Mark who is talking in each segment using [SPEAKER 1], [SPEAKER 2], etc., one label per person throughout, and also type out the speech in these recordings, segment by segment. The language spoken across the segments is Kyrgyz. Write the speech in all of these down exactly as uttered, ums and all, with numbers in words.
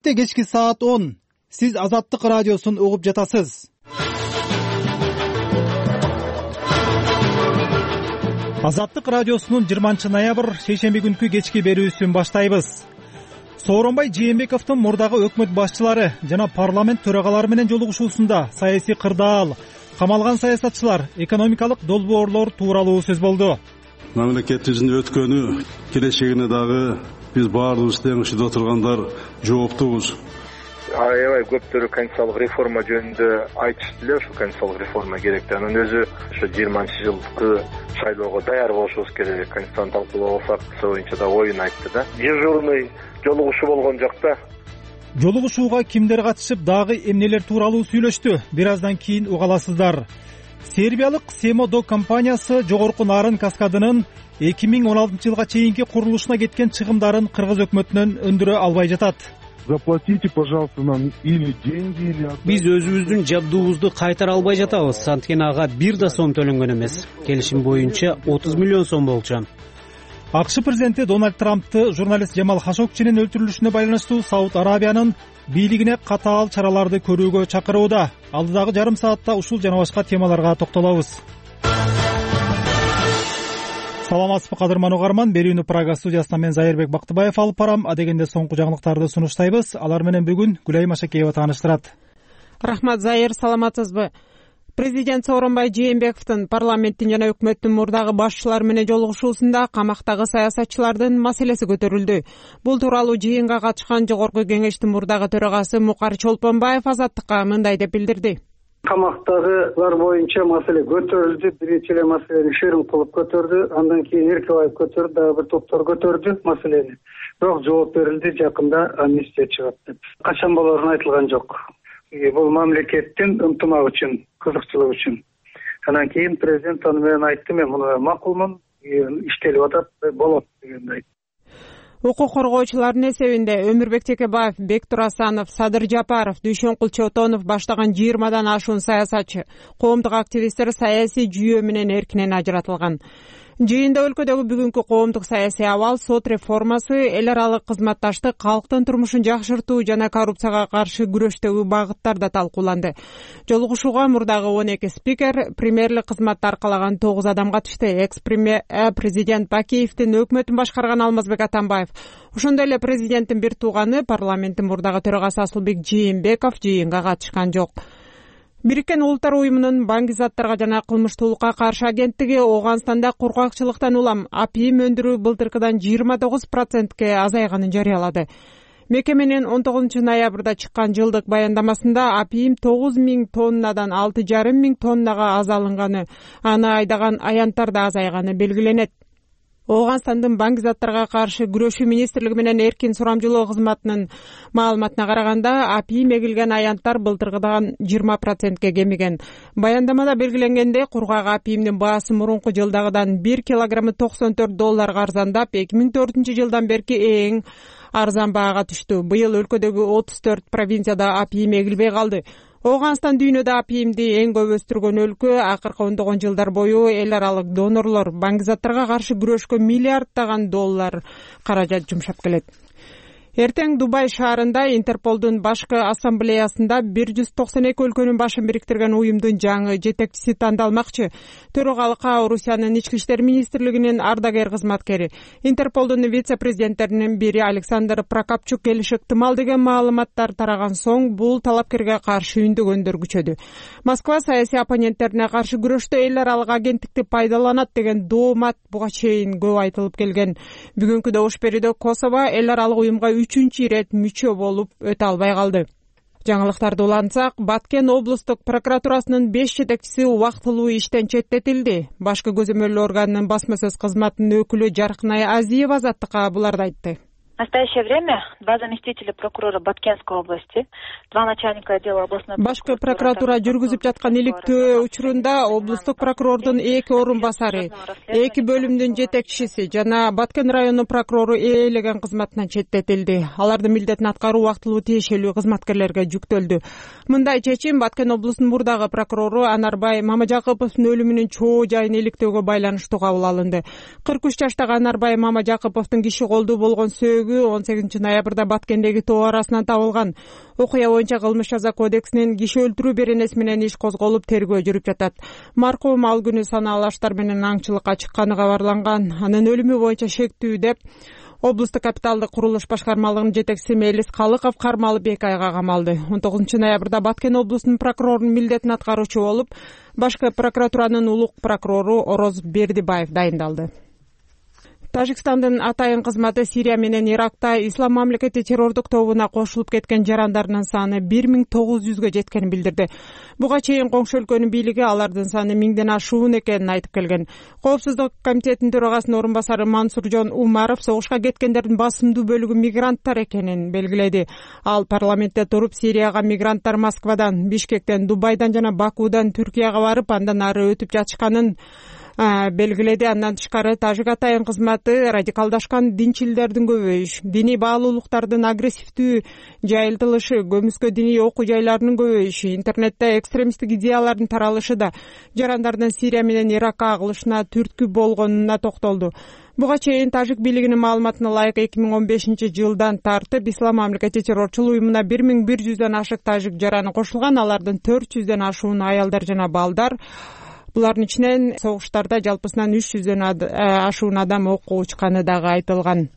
[SPEAKER 1] Кечки саат он. Сиз Азаттык радиосун угуп жатасыз. Азаттык радиосунун жыйырманчы ноябрь шейшемби күнкү кечки берүүсүн баштайбыз. Сооронбай Жээнбековдун мурдагы өкмөт башчылары жана парламент төрагалары менен жолугушуусунда саясий кырдаал, камалган саясатчылар, экономикалык долбоорлор тууралуу сөз болду.
[SPEAKER 2] Мамлекетибиздин өткөнү, келечегине дагы биз баарыбыз тең ушунда отургандар жооптубуз.
[SPEAKER 3] Аябай көптөрү конституциялык реформа жөнүндө айтышты эле, ушул конституциялык реформа керек. Анын өзү ошо жыйырманчы жылкы шайлоого даяр болушубуз керек. Конституцияны талкуулап алсак, ошол боюнча да оюн айтты да. Дежурный жолугушуу болгон жок да.
[SPEAKER 1] Жолугушууга кимдер катышып, дагы эмнелер тууралуу сүйлөштү? Бир аздан кийин уга аласыздар. Сербиялык Семодо компаниясы жогорку Нарын каскадынын эки миң он алтынчы жылга чейинки курулушуна кеткен чыгымдарын кыргыз өкмөтүнөн өндүрө албай жатат.
[SPEAKER 4] Заплатите, пожалуйста, нам или деньги, или...
[SPEAKER 5] Биз өзүбүздүн жабдуубузду кайтара албай жатабыз. Анткени ага бир да сом төлөнгөн эмес. Келишим боюнча отуз миллион сом болчу.
[SPEAKER 1] АКШ президенти Дональд Трампты журналист Жамал Хашогчинин өлтүрүлүшүнө байланыштуу Сауд Арабиянын бийлигине катаал чараларды көрүүгө чакырууда. Алдыдагы жарым саатта ушул жана башка темаларга токтолобуз. Саламатсызбы кадырман угарман, берүүнү Прага студиясынан мен Зайырбек Бактыбаев алып барам. Адегенде соңку жаңылыктарды сунуштайбыз. Алар менен бүгүн Гүлайым Ашакеева тааныштырат.
[SPEAKER 6] Рахмат, Зайыр, саламатсызбы? Президент Сооронбай Жээнбековдун парламенттин жана өкмөттүн мурдагы башчылары менен жолугушуусунда камактагы саясатчылардын маселеси көтөрүлдү. Бул тууралуу жыйынга катышкан жогорку кеңештин мурдагы төрагасы Мукар Чолпонбаев Азаттыкка мындай деп билдирди.
[SPEAKER 7] Камактагылар боюнча маселе көтөрүлдү. Биринчи эле маселени Шерим кылып көтөрдү, андан кийин Эркебаев көтөрдү, дагы бир топтор көтөрдү маселени. Бирок жооп берилди, жакында амнистия чыгат деп. Качан болорун айтылган жок. Бул мамлекеттин ынтымак үчүн, кызыкчылык үчүн. Андан кийин президент аны менен айтты, мен муну макулмун, иштелип атат, болот дегенди.
[SPEAKER 6] Укук коргоочулардын эсебинде Өмүрбек Текебаев, Бектур Асанов, Садыр Жапаров, Дүйшөнкул Чотонов баштаган жыйырмадан ашуун саясатчы, коомдук активисттер саясий жүйө менен эркинен ажыратылган. Жыйында өлкөдөгү бүгүнкү коомдук саясий абал, сот реформасы, эл аралык кызматташтык, калктын турмушун жакшыртуу жана коррупцияга каршы күрөштөгү багыттар да талкууланды. Жолугушууга мурдагы он эки спикер, премьерлик кызматты аркалаган тогуз адам катышты. Экс-премьер президент Бакиевдин өкмөтүн башкарган Алмазбек Атамбаев, ошондой эле президенттин бир тууганы, парламенттин мурдагы төрагасы Асылбек Жээнбеков жыйынга катышкан жок. Бириккен Улуттар уюмунун баңгизаттарга жана кылмыштуулукка каршы агенттиги Ооганстанда кургакчылыктан улам апийим өндүрүү былтыркыдан жыйырма тогуз процентке азайганын жарыялады. Мекеменин он тогузунчу ноябрда чыккан жылдык баяндамасында апийим тогуз миң тоннадан алты жарым миң тоннага азалынганы, аны айдаган аянттар да азайганы белгиленет. Ооганстандын баңгизаттарга каршы күрөшүү министрлиги менен эркин сурамжылоо кызматынын маалыматына караганда, апийим эгилген аянттар былтыркыдан жыйырма процентке кемиген. Баяндамада белгиленгендей, кургак апийимдин баасы мурунку жылдагыдан бир килограммы токсон төрт долларга арзандап, эки миң төртүнчү жылдан берки эң арзан баага түштү. Быйыл өлкөдөгү отуз төрт провинцияда апийим эгилбей калды. Ооганстан дүйнөдө апийимди эң көп өстүргөн өлкө. Акыркы ондогон жылдар бою эл аралык донорлор баңгизаттарга каршы күрөшкө миллиарддаган доллар каражат жумшап келет. Эртең Дубай шаарында Интерполдун башкы ассамблеясында бир жүз токсон эки өлкөнүн башын бириктирген уюмдун жаңы жетекчиси тандалмакчы. Төрагалыкка Орусиянын ички иштер министрлигинин ардагер кызматкери, Интерполдун вице-президенттеринин бири Александр Прокопчук келиши ыктымал деген маалыматтар тараган соң, бул талапкерге каршы үндөгөндөр күчөдү. Москва саясий оппоненттерине каршы күрөштө эл аралык агенттикти пайдаланат деген доомат буга чейин көп айтылып келген. Бүгүнкү добуш берүүдө Косово эл аралык уюмга үчүнчү ирет мүчө болуп өтө албай калды. Жаңылыктарды улантсак, Баткен облустук прокуратурасынын беш жетекчиси убактылуу иштен четтетилди. Башкы көзөмөлдөө органынын басма сөз кызматынын өкүлү Жаркынай Азиева Азаттыкка буларды айтты.
[SPEAKER 8] В настоящее время два заместителя прокурора Баткенской области, два начальника отдела областной
[SPEAKER 6] башкы прокуратура жүргүзүп жаткан иликтөө учурунда облустук прокурордун эки орун басары, эки бөлүмдүн жетекчиси жана Баткен районунун прокурору ээлеген кызматынан четтетилди. Алардын милдетин аткаруу убактылуу тиешелүү кызматкерлерге жүктөлдү. Мындай чечим Баткен облусунун мурдагы прокурору Анарбай Мамажакыповдун өлүмүнүн чоо жайын иликтөөгө байланыштуу кабыл алынды. кырк үч жаштагы Анарбай Мамажакыповдун киши колдуу болгон сөөгү өлүгү он сегизинчи ноябрда Баткендеги тоо арасынан табылган. Окуя боюнча кылмыш жаза кодексинин киши өлтүрүү беренеси менен иш козголуп, тергөө жүрүп жатат. Маркум ал күнү санаалуу аштар менен аңчылыкка чыкканы кабарланган. Анын өлүмү боюнча шектүү деп облустук капиталдык курулуш башкармалыгынын жетекчиси Мелис Калыков кармалып эки айга камалды. он тогузунчу ноябрда Баткен облусунун прокурорунун милдетин аткаруучу болуп, башкы прокуратуранын улук прокурору Ороз Бердибаев дайындалды. Тажикстандын атайын кызматы Сирия менен Иракта Ислам мамлекети террордук тобуна кошулуп кеткен жарандарынын саны бир миң тогуз жүзгө жеткенин билдирди. Буга чейин коңшу өлкөнүн бийлиги алардын саны миңден ашуун экенин айтып келген. Коопсуздук комитетинин төрагасынын орун басары Мансуржон Умаров согушка кеткендердин басымдуу бөлүгү мигранттар экенин белгиледи. Ал парламентте туруп, Сирияга мигранттар Москвадан, Бишкектен, Дубайдан жана Бакудан Түркияга барып, андан ары өтүп жатышканын белгиледи. Андан тышкары Тажик атайын кызматы радикалдашкан динчилдердин көбөйүш, диний баалуулуктардын агрессивдүү жайылтылышы, көмүскө диний окуу жайларынын көбөйүшү, интернетте экстремисттик идеялардын таралышы да жарандардын Сирия менен Иракка агылышына түрткү болгонуна токтолду. Буга чейин Тажик бийлигинин маалыматына ылайык эки миң он бешинчи жылдан тартып Ислам мамлекети террорчулук уюмуна бир миң бир жүздөн ашык тажик жараны кошулган. Алардын төрт жүздөн ашуун аялдар жана балдар. Булардын ичинен согуштарда жалпысынан үч жүздөн ашуун адам окко учканы дагы айтылган.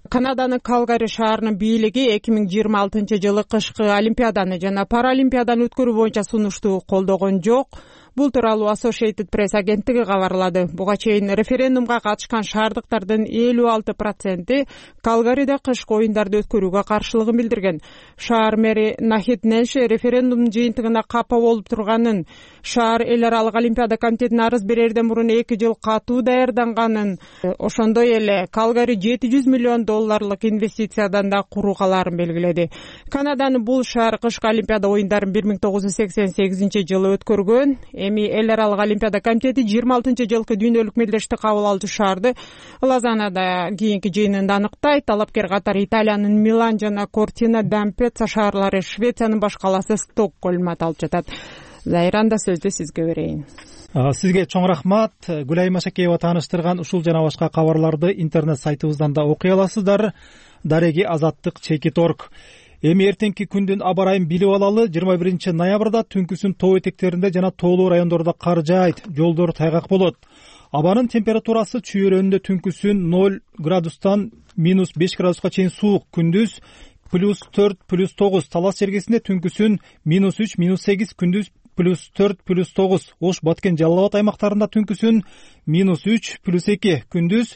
[SPEAKER 6] Канаданын Калгари шаарынын бийлиги эки миң жыйырма алтынчы жылы кышкы Олимпиаданы жана Паралимпиаданы өткөрүү боюнча сунушту колдогон жок. Бул тууралуу Associated Press агенттиги кабарлады. Буга чейин референдумга катышкан шаардыктардын элүү алты проценти Калгариде кышкы оюндарды өткөрүүгө каршылыгын билдирген. Шаар мэри Нахид Нэнш референдумдун жыйынтыгына капа болуп турганын, шаар эл аралык Олимпиада комитетине арыз берерден мурун эки жыл катуу даярданганын, ошондой эле Калгари жети жүз миллион долларлык инвестициядан да курулгаларын белгиледи. Канаданын бул шаар кышкы Олимпиада оюндарын бир миң тогуз жүз сексен сегизинчи жылы өткөргөн. Эми эл аралык Олимпиада комитети жыйырма алтынчы жылкы дүйнөлүк мелдешти кабыл алуучу шаарды Лозаннада кийинки жыйынында аныктайт. Талапкер катары Италиянын Милан жана Кортина d'Ampezzo шаарлары, Швециянын баш калаасы Стокгольм аталып жатат. Зайранда сөздү сизге берейин.
[SPEAKER 1] Сизге чоң рахмат. Гүлай Машакеева тааныштырган ушул жана башка кабарларды интернет сайтыбыздан да окуй аласыздар. Дареги азаттык чекит точка орг. Эми эртеңки күндүн аба ырайын билип алалы. жыйырма биринчи ноябрда түнкүсүн тоо этектеринде жана тоолуу райондордо кар жаайт, жолдор тайгак болот. Абанын температурасы чүйөрөндө түнкүсүн ноль градустан минус беш градуска чейин суук, күндүз плюс төрт плюс тогуз, Талас жергесинде түнкүсүн минус үч минус сегиз, күндүз плюс төрт плюс тогуз, Ош, Баткен, Жалал Абад аймактарында түнкүсүн минус үч плюс эки, күндүз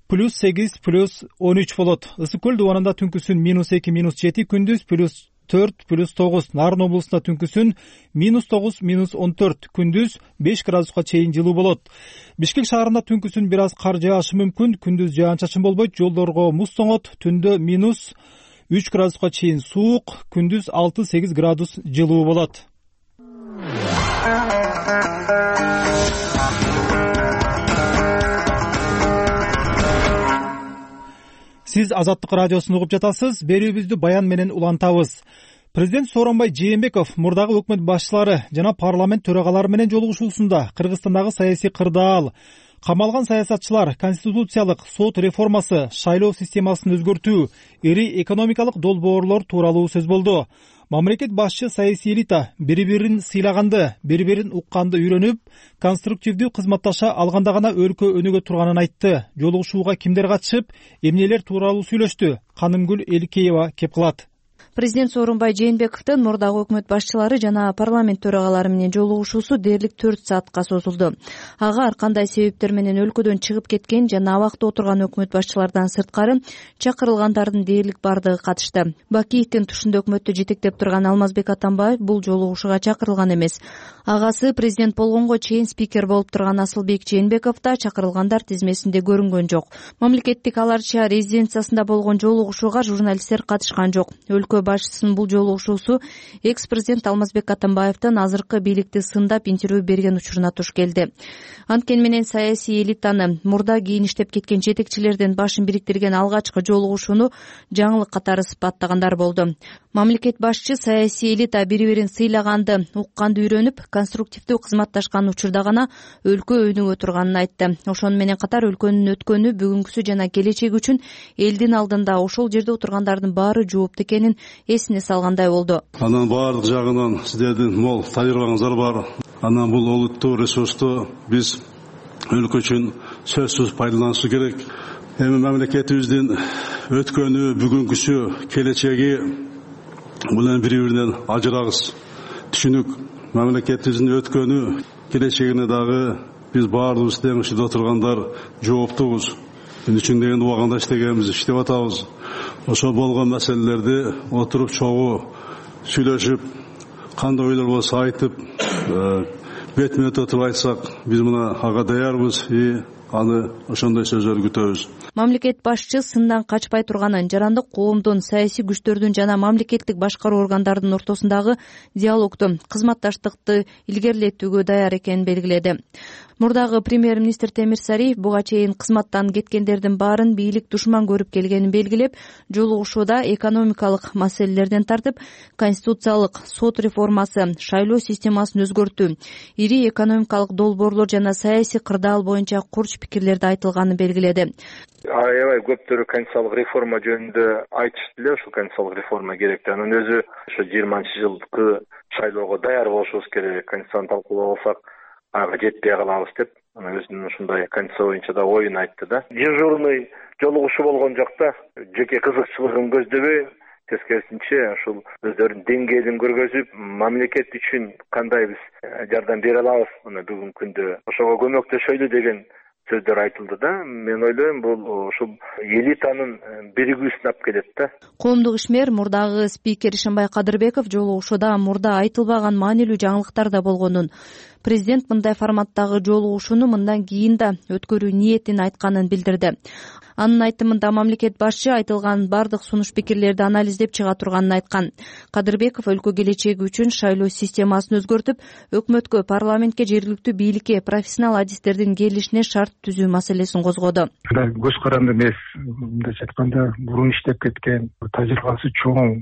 [SPEAKER 1] плюс сегиз плюс он үч болот. Ысык көл дубанында түнкүсүн минус эки минус жети, күндүз плюс төрт плюс тогуз. Нарын облусунда түнкүсүн минус тогуз минус он төрт, күндүз беш градуска чейин жылуу болот. Бишкек шаарында түнкүсүн бир аз кар жаашы мүмкүн, күндүз жаан-чачын болбойт, жолдорго муз тоңот, түндө минус үч градуска чейин суук, күндүз алты сегиз градус жылуу болот. Сиз Азаттык радиосун угуп жатасыз. Берүүбүздү баян менен улантабыз. Президент Сооронбай Жээнбеков мурдагы өкмөт башчылары жана парламент төрагалары менен жолугушуусунда Кыргызстандагы саясий кырдаал, камалган саясатчылар, конституциялык сот реформасы, шайлоо системасын өзгөртүү, ири экономикалык долбоорлор тууралуу сөз болду. Мамлекет башчы саясий элита бири-бирин сыйлаганды, бири-бирин укканды үйрөнүп, конструктивдүү кызматташа алганда гана өлкө өнүгө турганын айтты. Жолугушууга кимдер катышып, эмнелер тууралуу сүйлөштү? Канымгүл Эликеева кеп кылат.
[SPEAKER 9] Президент Сооронбай Жээнбековдун мурдагы өкмөт башчылары жана парламент төрагалары менен жолугушуусу дээрлик төрт саатка созулду. Ага ар кандай себептер менен өлкөдөн чыгып кеткен жана абакта отурган өкмөт башчылардан сырткары чакырылгандардын дээрлик бардыгы катышты. Бакиевдин тушунда өкмөттү жетектеп турган Алмазбек Атамбаев бул жолугушууга чакырылган эмес. Агасы президент болгонго чейин спикер болуп турган Асылбек Жээнбеков да чакырылгандар тизмесинде көрүнгөн жок. Мамлекеттик аларча резиденциясында болгон жолугушууга журналисттер катышкан жок. Өлкө башчысынын бул жолугушуусу экс президент Алмазбек Атамбаевдин азыркы бийликти сындап интервью берген учуруна туш келди. Анткени менен саясий элитаны мурда кийин иштеп кеткен жетекчилердин башын бириктирген алгачкы жолугушууну жаңылык катары сыпаттагандар болду. Мамлекет башчы саясий элита бири-бирин сыйлаганды, укканды үйрөнүп, конструктивдүү кызматташкан учурда гана өлкө өнүгө турганын айтты. Ошону менен катар өлкөнүн өткөнү, бүгүнкүсү жана келечеги үчүн элдин алдында ошол жерде отургандардын баары жоопту экенин эсине салгандай болду.
[SPEAKER 2] Анан баардык жагынан сиздердин мол таҗрыйбаңыздар бар. Анан бул олуттуу ресурсту биз өлкө үчүн сөзсүз пайдаланышыбыз керек. Эми мамлекетибиздин өткөнү, бүгүнкүсү, келечеги менен бири-биринен ажырагыс. Түшүнүк. Мамлекетибиздин өткөнү, келечегине дагы биз баардыгыбыз тең ушунда отургандар жооптубуз. Мен үчүн деген убагында иштегенбиз, иштеп атабыз. Ошо болгон маселелерди отуруп чогуу сүйлөшүп, кандай ойлор болсо айтып, бетме бет отуруп айтсак, биз мына ага даярбыз и аны ошондой сөздөрдү күтөбүз.
[SPEAKER 9] Мамлекет башчы сындан качпай турганын, жарандык коомдун, саясий күчтөрдүн жана мамлекеттик башкаруу органдарынын ортосундагы диалогду, кызматташтыкты илгерилетүүгө даяр экенин белгиледи. Мурдагы премьер-министр Темир Сариев буга чейин кызматтан кеткендердин баарын бийлик душман көрүп келгенин белгилеп, жолугушууда экономикалык маселелерден тартып, конституциялык сот реформасы, шайлоо системасын өзгөртүү, ири экономикалык долбоорлор жана саясий кырдаал боюнча курч пикирлерди айтылганын белгиледи.
[SPEAKER 3] Аябай көптөрү конституциялык реформа жөнүндө айтышты эле, ушул конституциялык реформа керек. Анын өзү ошо жыйырманчы жылкы шайлоого даяр болушубуз керек. Конституцияны талкуулап алсак, ага жетпей калабыз деп, анан өзүнүн ушундай конституция боюнча да оюн айтты да. Дежурный жолугушуу болгон жакта жеке кызыкчылыгын көздөбөй, тескерисинче ушул өздөрүнүн деңгээлин көргөзүп, мамлекет үчүн кандай биз жардам бере алабыз мына бүгүнкү күндө, ошого көмөктөшөлү деген сөздөр айтылды да. Мен ойлойм, бул ушул элитанын биригүүсүнө алып келет да.
[SPEAKER 9] Коомдук ишмер мурдагы спикер Ишенбай Кадырбеков жолугушууда мурда айтылбаган маанилүү жаңылыктар да болгонун, президент мындай форматтагы жолугушууну мындан кийин да өткөрүү ниетин айтканын билдирди. Анын айтымында мамлекет башчы айтылган бардык сунуш пикирлерди анализдеп чыга турганын айткан. Кадырбеков өлкө келечеги үчүн шайлоо системасын өзгөртүп, өкмөткө, парламентке, жергиликтүү бийликке профессионал адистердин келишине шарт түзүү маселесин козгоду.
[SPEAKER 4] Көз каранды эмес, мындайча айтканда, мурун иштеп кеткен, тажрыйбасы чоң,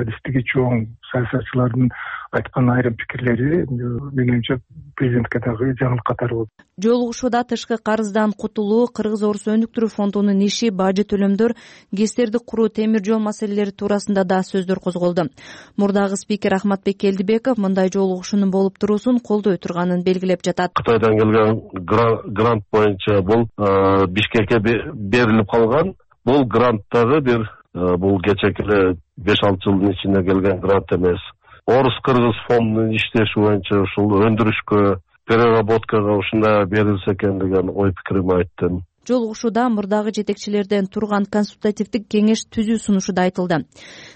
[SPEAKER 4] адистиги чоң саясатчылардын айткан айрым пикирлери менимче президентке дагы жаңылык катары болду.
[SPEAKER 9] Жолугушууда тышкы карыздан кутулуу, кыргыз орус өнүктүрүү фондунун иши, бажы төлөмдөр, ГЭСтерди куруу, темир жол маселелери туурасында да сөздөр козголду. Мурдагы спикер Ахматбек Келдибеков мындай жолугушуунун болуп туруусун колдой турганын белгилеп жатат.
[SPEAKER 10] Кытайдан келген грант боюнча бул Бишкекке берилип калган. Бул гранттагы бир бул кечеки эле беш алты жылдын ичинде келген грант эмес. Орус-кыргыз фондунун иштеши боюнча ушул өндүрүшкө, переработкага ушундай берилсе экен деген ой пикиримди айттым.
[SPEAKER 9] Жолугушууда мурдагы жетекчилерден турган консультативдик кеңеш түзүү сунушу да айтылды.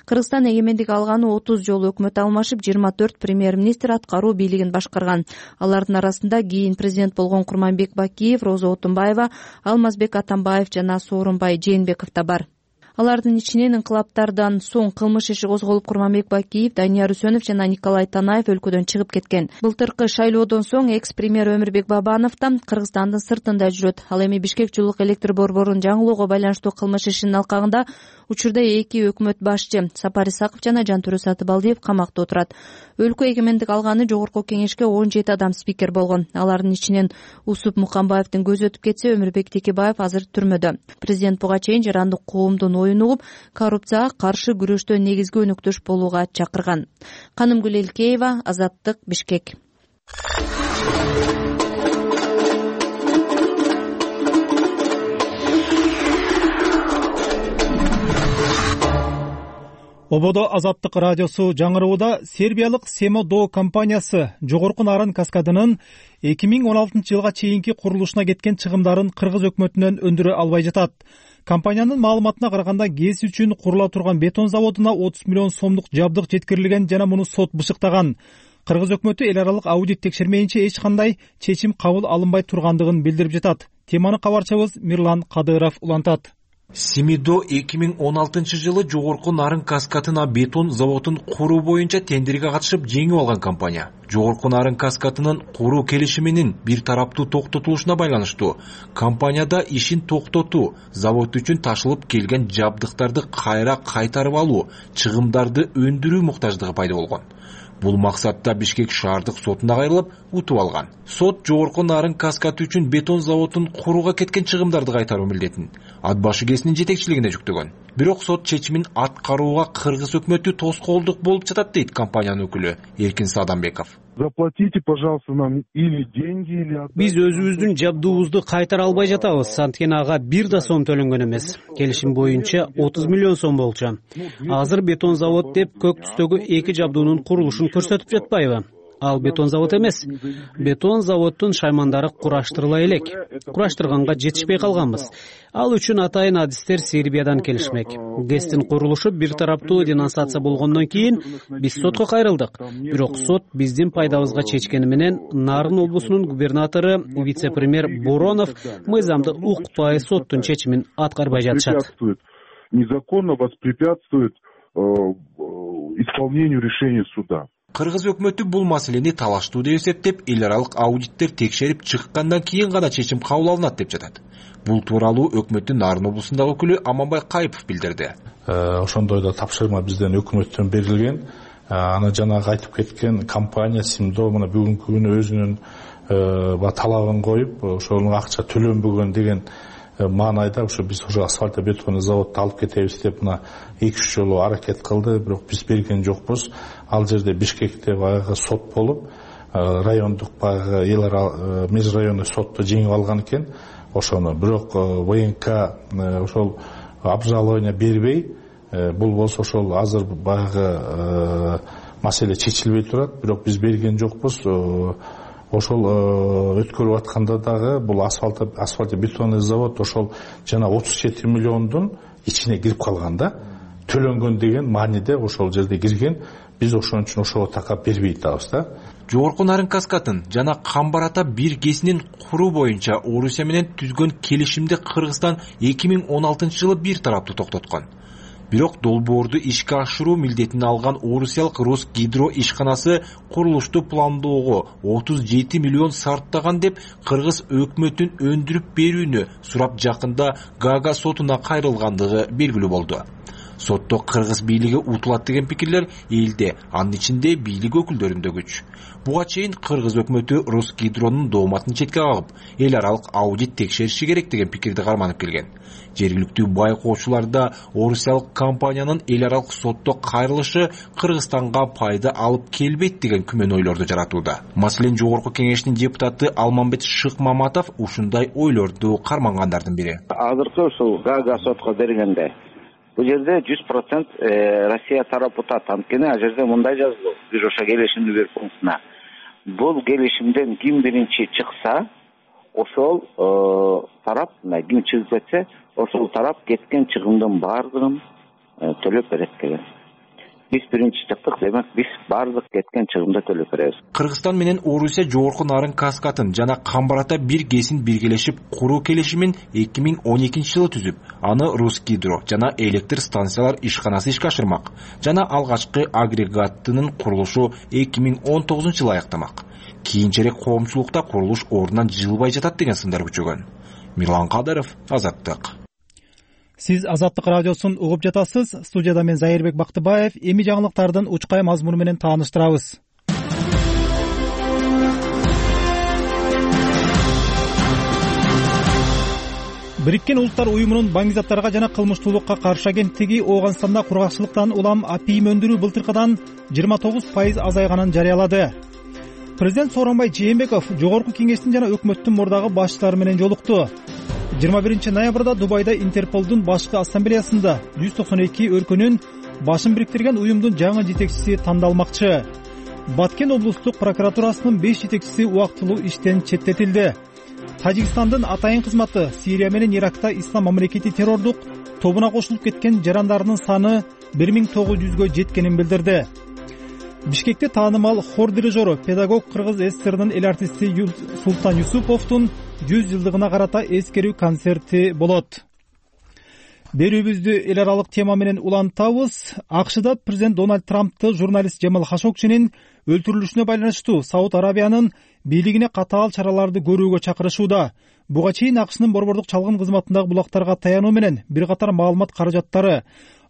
[SPEAKER 9] Кыргызстан эгемендик алганы отуз жолу өкмөт алмашып, жыйырма төрт премьер-министр аткаруу бийлигин башкарган. Алардын арасында кийин президент болгон Курманбек Бакиев, Роза Отунбаева, Алмазбек Атамбаев жана Сооронбай Жээнбеков да бар. Алардын ичинен инкылаптардан соң кылмыш иши козголуп, Курманбек Бакиев, Данияр Үсөнов жана Николай Танаев өлкөдөн чыгып кеткен. Былтыркы шайлоодон соң экс-премьер Өмүрбек Бабанов да Кыргызстандын сыртында жүрөт. Ал эми Бишкек жылуулук электр борборун жаңылоого байланыштуу кылмыш ишинин алкагында учурда эки өкмөт башчы Сапар Исаков жана Жантөрө Сатыбалдиев камакта отурат. Өлкө эгемендик алганы жогорку кеңешке он жети адам спикер болгон. Алардын ичинен Усуп Мукамбаевдин көзү өтүп кетсе, Өмүрбек Текебаев азыр түрмөдө. Президент буга чейин жарандык коомдун оюн угуп, коррупцияга каршы күрөштө негизги өнөктөш болууга чакырган. Канымгүл Элкеева, Азаттык, Бишкек.
[SPEAKER 1] Ободо Азаттык радиосу жаңырууда сербиялык Семодо компаниясы Жогорку Нарын каскадынын эки миң он алтынчы жылга чейинки курулушуна кеткен чыгымдарын кыргыз өкмөтүнөн өндүрө албай жатат. Компаниянын маалыматына караганда ГЭС үчүн курула турган бетон заводуна отуз миллион сомдук жабдык жеткирилген жана муну сот бышыктаган. Кыргыз өкмөтү эл аралык аудит текшермейинче эч кандай чечим кабыл алынбай тургандыгын билдирип жатат. Теманы кабарчыбыз Мирлан Кадыров улантат.
[SPEAKER 11] Семидо эки миң он алтынчы жылы Жогорку Нарын каскадына бетон заводун куруу боюнча тендерге катышып жеңип алган компания. Жогорку Нарын каскадынын куруу келишиминин бир тараптуу токтотулушуна байланыштуу компанияда ишин токтотуу, завод үчүн ташылып келген жабдыктарды кайра кайтарып алуу, чыгымдарды өндүрүү муктаждыгы пайда болгон. Бул максатта Бишкек шаардык сотуна кайрылып утуп алган. Сот Жогорку Нарын каскады үчүн бетон заводун курууга кеткен чыгымдарды кайтаруу милдетин ат башы КЭСинин жетекчилигине жүктөгөн. Бирок сот чечимин аткарууга кыргыз өкмөтү тоскоолдук болуп жатат дейт компаниянын өкүлү Эркин Садамбеков.
[SPEAKER 12] Заплатите, пожалуйста, нам или деньги, или...
[SPEAKER 5] Биз өзүбүздүн жабдуубузду кайтара албай жатабыз. Анткени ага бир да сом төлөнгөн эмес. Келишим боюнча отуз миллион сом болчу. Азыр бетон завод деп көк түстөгү эки жабдуунун курулушун көрсөтүп жатпайбы? Ал бетон завод эмес. Бетон заводдун шаймандары кураштырыла элек. Кураштырганга жетишпей калганбыз. Ал үчүн атайын адистер Сербиядан келишмек. КЭСтин курулушу бир тараптуу денонсация болгондон кийин биз сотко кайрылдык. Бирок сот биздин пайдабызга чечкени менен Нарын облусунун губернатору, вице-премьер Боронов мыйзамды укпай соттун чечимин аткарбай жатышат.
[SPEAKER 12] Незаконно воспрепятствует исполнению решения суда.
[SPEAKER 11] Кыргыз өкмөтү бул маселени талаштуу деп эсептеп, эл аралык аудиттер текшерип чыккандан кийин гана чечим кабыл алынат деп жатат. Бул тууралуу өкмөттүн Нарын облусундагы өкүлү Аманбай Кайыпов билдирди.
[SPEAKER 13] Ошондой да тапшырма бизден өкмөттөн берилген. Аны жанагы айтып кеткен компания Семидо мына бүгүнкү күнү өзүнүн талабын коюп, ошонун акча төлөнбөгөн деген маанайда ошо биз ошо асфальто бетонный заводду алып кетебиз деп мына эки үч жолу аракет кылды, бирок биз берген жокпуз. Ал жерде Бишкекте баягы сот болуп, райондук баягы эл аралык межрайонный сотто жеңип алган экен ошону. Бирок ВНК ошол обжалование бербей, бул болсо ошол азыр баягы маселе чечилбей турат, бирок биз берген жокпуз. Ошол өткөрүп атканда дагы бул асфальто асфальто бетонный завод ошол жана отуз жети миллиондун ичине кирип калган да. Төлөнгөн деген мааниде ошол жерде кирген. Биз ошон үчүн ошого такап бербей атабыз да.
[SPEAKER 11] Жогорку Нарын каскадын жана Камбар-Ата бир КЭСинин куруу боюнча Орусия менен түзгөн келишимди Кыргызстан эки миң он алтынчы жылы бир тараптуу токтоткон. Бирок долбоорду ишке ашыруу милдетин алган орусиялык Росгидро ишканасы курулушту пландоого отуз жети миллион сарптаган деп кыргыз өкмөтүн өндүрүп берүүнү сурап жакында Гага сотуна кайрылгандыгы белгилүү болду. Сотто кыргыз бийлиги утулат деген пикирлер элде, анын ичинде бийлик өкүлдөрүндө күч. Буга чейин кыргыз өкмөтү Росгидронун дооматын четке кагып, эл аралык аудит текшериши керек деген пикирди карманып келген. Жергиликтүү байкоочулар да орусиялык компаниянын эл аралык сотто кайрылышы Кыргызстанга пайда алып келбейт деген күмөн ойлорду жаратууда. Маселен, Жогорку Кеңештин депутаты Алмамбет Шыкмаматов ушундай ойлорду кармангандардын бири.
[SPEAKER 14] Азыркы ушул Гага сотко бергенде бул жерде жүз процент Россия тарап утат. Анткени ал жерде мындай жазылуу. Биз ошо келишимди бир пунктуна. Бул келишимден ким биринчи чыкса, ошол тарап, ким чыгып кетсе, ошол тарап кеткен чыгымдын баардыгын төлөп берет деген. Биз биринчи чыктык, демек биз баардык кеткен чыгымды төлөп беребиз.
[SPEAKER 11] Кыргызстан менен Орусия Жогорку Нарын каскадын жана Камбар-Ата бир КЭСин биргелешип куруу келишимин эки миң он экинчи жылы түзүп, аны Росгидро жана электр станциялар ишканасы ишке ашырмак. Жана алгачкы агрегаттынын курулушу эки миң он тогузунчу жылы аяктамак. Кийинчерээк коомчулукта курулуш ордунан жылбай жатат деген сындар күчөгөн. Мирлан Кадыров, Азаттык.
[SPEAKER 1] Сиз Азаттык радиосун угуп жатасыз. Студияда мен Зайырбек Бактыбаев. Эми жаңылыктардын учкай мазмуну менен тааныштырабыз. Бириккен Улуттар уюмунун баңгизаттарга жана кылмыштуулукка каршы агенттиги Ооганстанда кургакчылыктан улам апийим өндүрүү былтыркыдан жыйырма тогуз пайыз азайганын жарыялады. Президент Сооронбай Жээнбеков Жогорку Кеңештин жана өкмөттүн мурдагы башчылары менен жолукту. жыйырма биринчи ноябрда Дубайда Интерполдун башкы ассамблеясында жүз токсон эки өлкөнүн башын бириктирген уюмдун жаңы жетекчиси тандалмакчы. Баткен облустук прокуратурасынын беш жетекчиси убактылуу иштен четтетилди. Тажикстандын атайын кызматы Сирия менен Иракта Ислам мамлекети террордук тобуна кошулуп кеткен жарандарынын саны бир миң тогуз жүзгө жеткенин билдирди. Бишкекте таанымал хор дирижеру, педагог Кыргыз ССРнын эл артисти Султан Юсуповдун жүз жылдыгына карата эскерүү концерти болот. берүүбүздү эл аралык тема менен улантабыз. акшда президент Дональд Трампты журналист Жамал Хашогчинин өлтүрүлүшүнө байланыштуу Сауд Арабиянын бийлигине катаал чараларды көрүүгө чакырышууда. Буга чейин акшнын борбордук чалгын кызматындагы булактарга таянуу менен бир катар маалымат каражаттары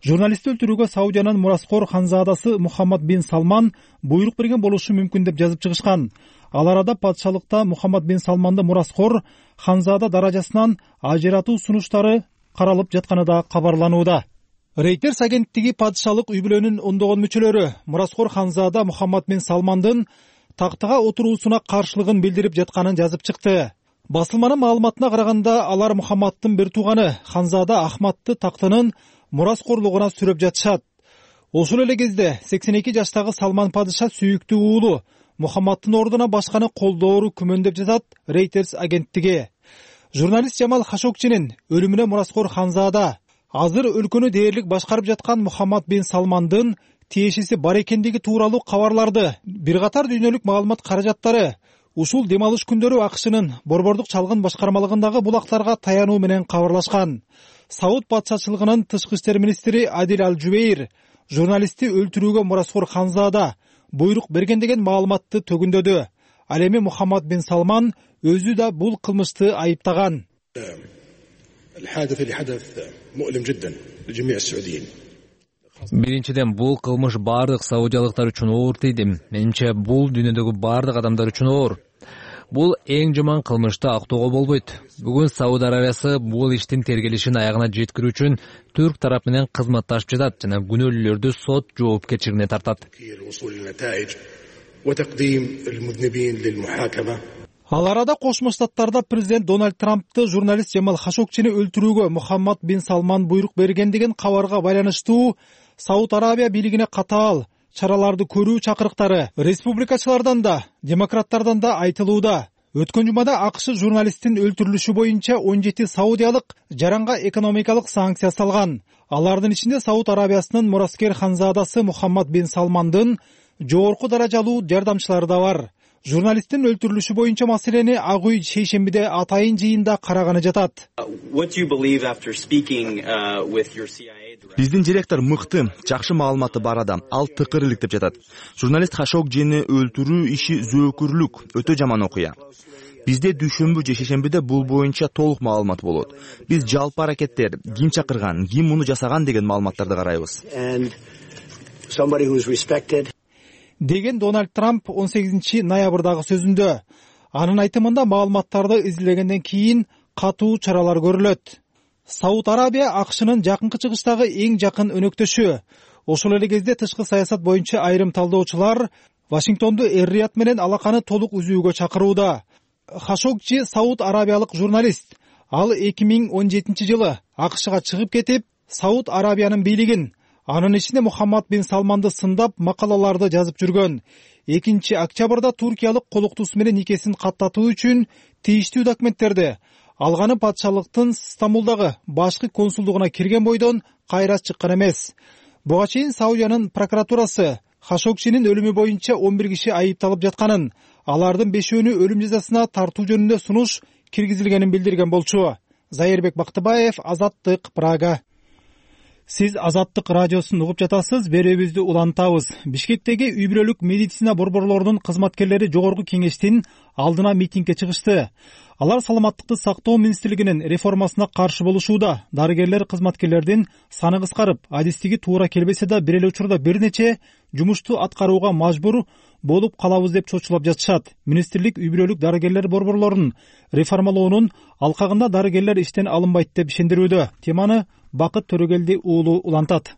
[SPEAKER 1] журналистти өлтүрүүгө Саудиянын мураскор ханзадасы Мухаммад бин Салман буйрук берген болушу мүмкүн деп жазып чыгышкан. Ал арада патшалыкта Мухаммад бин Салманды мураскор ханзада даражасынан ажыратуу сунуштары каралып жатканы да кабарланууда. Reuters агенттиги падышалык үй бүлөнүн ондогон мүчөлөрү мураскор ханзада Мухаммад бин Салмандын тактыга отуруусуна каршылыгын билдирип жатканын жазып чыкты. Басылманын маалыматына караганда алар Мухаммаддын бир тууганы Ханзада Ахмадты тактынын мураскорлугуна сүрөп жатышат. Ошол эле кезде сексен эки жаштагы Салман падыша сүйүктүү уулу Мухаммаддын ордуна башканы колдоору күмөндөп жатат Reuters агенттиги. Журналист Жамал Хашогчинин өлүмүнө мураскор Ханзада азыр өлкөнү дээрлик башкарып жаткан Мухаммад бин Салмандын тиешеси бар экендиги тууралуу кабарларды бир катар дүйнөлүк маалымат каражаттары ушул дем алыш күндөрү акшнын борбордук чалгын башкармалыгындагы булактарга таянуу менен кабарлашкан. Сауд патшачылыгынын тышкы иштер министри Адил Аль-Жубейр журналистти өлтүрүүгө мураскор Ханзада буйрук берген деген маалыматты төгүндөдү. Ал эми Мухаммад бин Салман өзү да бул кылмышты айыптаган.
[SPEAKER 15] Биринчиден, бул кылмыш бардык саудиялыктар үчүн оор тийди. Менимче бул дүйнөдөгү бардык адамдар үчүн оор. Бул эң жаман кылмышты актоого болбойт. Бүгүн Сауд Арабиясы бул иштин тергелишин аягына жеткирүү үчүн түрк тарап менен кызматташып жатат жана күнөөлүүлөрдү сот жоопкерчилигине тартат.
[SPEAKER 1] Ал арада Кошмо Штаттарда президент Дональд Трампты журналист Жамал Хашогчини өлтүрүүгө Мухаммад бин Салман буйрук берген деген кабарга байланыштуу Сауд Арабия бийлигине катаал чараларды көрүү чакырыктары республикачылардан да, демократтардан да айтылууда. Өткөн жумада АКШ журналисттин өлтүрүлүшү боюнча он жети саудиялык жаранга экономикалык санкция салган. Алардын ичинде Сауд Арабиясынын мураскер ханзадасы Мухаммад бин Салмандын жогорку даражалуу жардамчылары да бар. Журналисттин өлтүрүлүшү боюнча маселени Ак үй шейшембиде атайын жыйында караганы жатат.
[SPEAKER 16] Биздин директор мыкты, жакшы маалыматы бар адам. Ал тыкырылык деп жатат. Журналист Хашогчини өлтүрүү иши зөөкүрлүк, өтө жаман окуя. Бизде дүйшөмбү же шейшембиде бул боюнча толук маалымат болот. Биз жалпы аракеттер, ким чакырган, ким муну жасаган деген маалыматтарды карайбыз.
[SPEAKER 1] Деген Дональд Трамп он сегизинчи ноябрдагы сөзүндө. Анын айтымында маалыматтарды изилдегенден кийин катуу чаралар көрүлөт. Сауд Арабия АКШнын жакынкы чыгыштагы эң жакын өнөктөшү. Ошол эле кезде тышкы саясат боюнча айрым талдоочулар Вашингтонду Эр-Рияд менен алаканы толук үзүүгө чакырууда. Хашогчи Сауд Арабиялык журналист. Ал эки миң он жетинчи жылы АКШга чыгып кетип, Сауд Арабиянын бийлигин, анын ичинде Мухаммад бин Салманды сындап макалаларды жазып жүргөн. экинчи октябрда туркиялык колуктуусу менен никесин каттатуу үчүн тийиштүү документтерди алганы патшалыктын Стамбулдагы башкы консулдугуна кирген бойдон кайра чыккан эмес. Буга чейин Саудиянын прокуратурасы Хашогчинин өлүмү боюнча он бир киши айыпталып жатканын, алардын бешөөнү өлүм жазасына тартуу жөнүндө сунуш киргизилгенин билдирген болчу. Зайырбек Бактыбаев, Азаттык, Прага. Сиз Азаттык радиосун угуп жатасыз, берүүбүздү улантабыз. Бишкектеги үй бүлөлүк медицина борборлорунун кызматкерлери жогорку кеңештин алдына митингге чыгышты. Алар саламаттыкты сактоо министрлигинин реформасына каршы болушууда. Дарыгерлер кызматкерлердин саны кыскарып, адистиги туура келбесе да бир эле учурда бир нече жумушту аткарууга мажбур болуп калабыз деп чочулап жатышат. Министрлик үй бүлөлүк дарыгерлер борборлорун реформалоонун алкагында дарыгерлер иштен алынбайт деп ишендирүүдө. Теманы Бакыт Төрөгелди уулу улантат.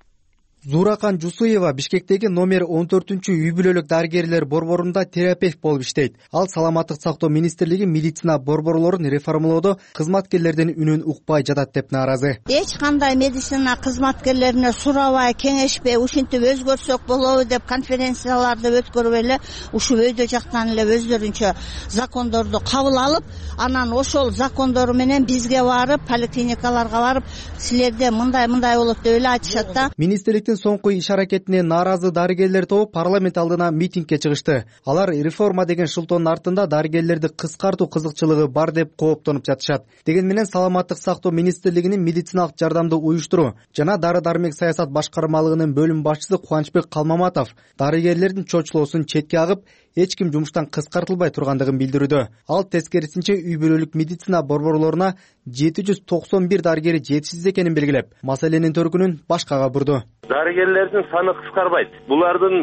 [SPEAKER 17] Зуракан Жусуева Бишкектеги номер он төртүнчү үй бүлөлүк дарыгерлер борборунда терапевт болуп иштейт. Ал саламаттык сактоо министрлиги медицина борборлорун реформалоодо кызматкерлердин үнүн укпай жатат деп нааразы.
[SPEAKER 18] Эч кандай медицина кызматкерлерине сурабай, кеңешпей, ушинтип өзгөрсөк болобу деп конференцияларды өткөрүп эле ушул өйдө жактан эле өздөрүнчө закондорду кабыл алып, анан ошол закондору менен бизге барып, поликлиникаларга барып, силерде мындай мындай болот деп эле айтышат да.
[SPEAKER 17] Министрлик министрликтин соңку иш аракетине нааразы дарыгерлер тобу парламент алдына митингге чыгышты. Алар реформа деген шылтоонун артында дарыгерлерди кыскартуу кызыкчылыгы бар деп кооптонуп жатышат. Деген менен саламаттык сактоо министрлигинин медициналык жардамды уюштуруу жана дары дармек саясат башкармалыгынын бөлүм башчысы Кубанычбек Калмаматов дарыгерлердин чочулоосун четке агып, эч ким жумуштан кыскартылбай тургандыгын билдирүүдө. Ал тескерисинче үй бүлөлүк медицина борборлоруна жети жүз токсон бир дарыгери жетишсиз экенин белгилеп, маселенин төркүнүн башкага бурду.
[SPEAKER 19] Дарыгерлердин саны кыскарбайт. Булардын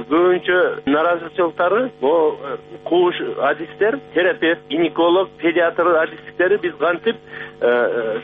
[SPEAKER 19] көбүнчө наразычылыктары бул кууш адистер, терапевт, гинеколог, педиатр адистиктери биз кантип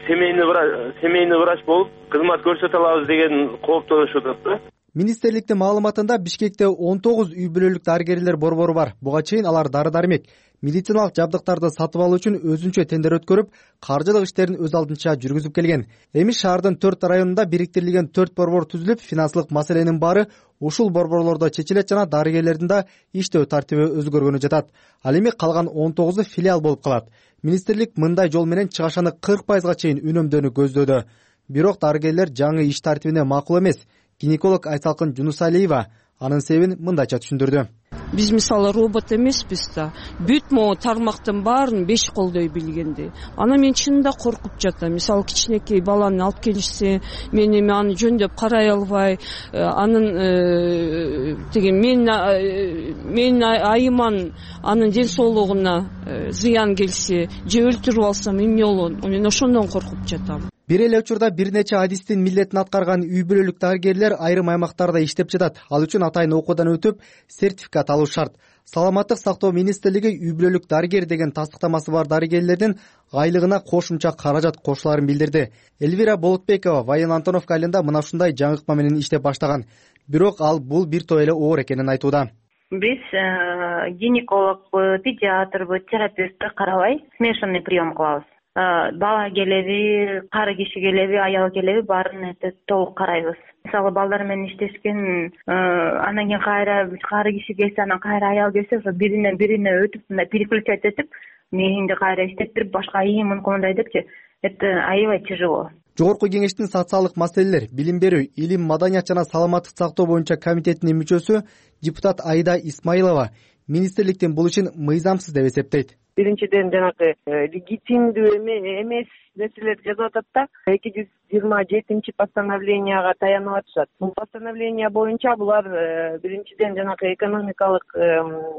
[SPEAKER 19] семейный врач, семейный врач болуп кызмат көрсөтө алабыз деген кооптонушуп атат.
[SPEAKER 17] Министрликтин маалыматында Бишкекте он тогуз үй бүлөлүк дарыгерлер борбору бар. Буга чейин алар дары-дармек, медициналык жабдыктарды сатып алуу үчүн өзүнчө тендер өткөрүп, каржылык иштерин өз алдынча жүргүзүп келген. Эми шаардын төрт районунда бириктирилген төрт борбор түзүлүп, финансылык маселенин баары ушул борборлордо чечилет жана дарыгерлердин да иштөө тартиби өзгөргөнү жатат. Ал эми калган он тогузу филиал болуп калат. Министрлик мындай жол менен чыгашаны кырк пайызга чейин үнөмдөөнү көздөөдө. Бирок дарыгерлер жаңы иш тартибине макул эмес. Гинеколог Айсалкын Жунусалиева анын себебин мындайча түшүндүрдү.
[SPEAKER 20] Биз мисалы робот эмеспиз да. Бүт могу тармактын баарын беш колдой билгенди. Ана мен чынында коркуп жатам. Мисалы кичинекей баланы алып келишсе, мен эми аны жөндөп карай албай, анын деген мен мен айыман анын ден соолугуна зыян келсе, же өлтүрүп алсам эмне болот? Мен ошондон коркуп жатам.
[SPEAKER 17] Бир эле учурда бир нече адистин милдетин аткарган үй бүлөлүк дарыгерлер айрым аймактарда иштеп жатат. Ал үчүн атайын окуудан өтүп, сертификат алуу шарт. Саламаттык сактоо министрлиги үй бүлөлүк дарыгер деген тастыктамасы бар дарыгерлердин айлыгына кошумча каражат кошуларын билдирди. Элвира Болотбекова Воен Антоновка айылында мына ушундай жаңыкма менен иштеп баштаган. Бирок ал бул бир топ эле оор экенин айтууда.
[SPEAKER 8] Биз гинекологбу, педиатрбу, терапевтти карабай смешанный прием кылабыз. Бала келеби, кары киши келеби, аял келеби баарын толук карайбыз. Мисалы балдар менен иштешкен, анан кийин кайра кары киши келсе, анан кайра аял келсе, ошо биринен бирине өтүп, мындай переключать этип, мээңди кайра иштеттирип, башка ии мүмкүн мындай депчи. Это аябай тяжело.
[SPEAKER 17] Жогорку кеңештин социалдык маселелер, билим берүү, илим, маданият жана саламаттык сактоо боюнча комитетинин мүчөсү депутат Айда Исмаилова министрликтин бул ишин мыйзамсыз деп эсептейт.
[SPEAKER 21] Биринчиден жанагы легитимдүү эмес нерселерди жазып атат да, эки жүз жыйырма жетинчи постановленияга таянып атышат. Бул постановление боюнча булар биринчиден жанагы экономикалык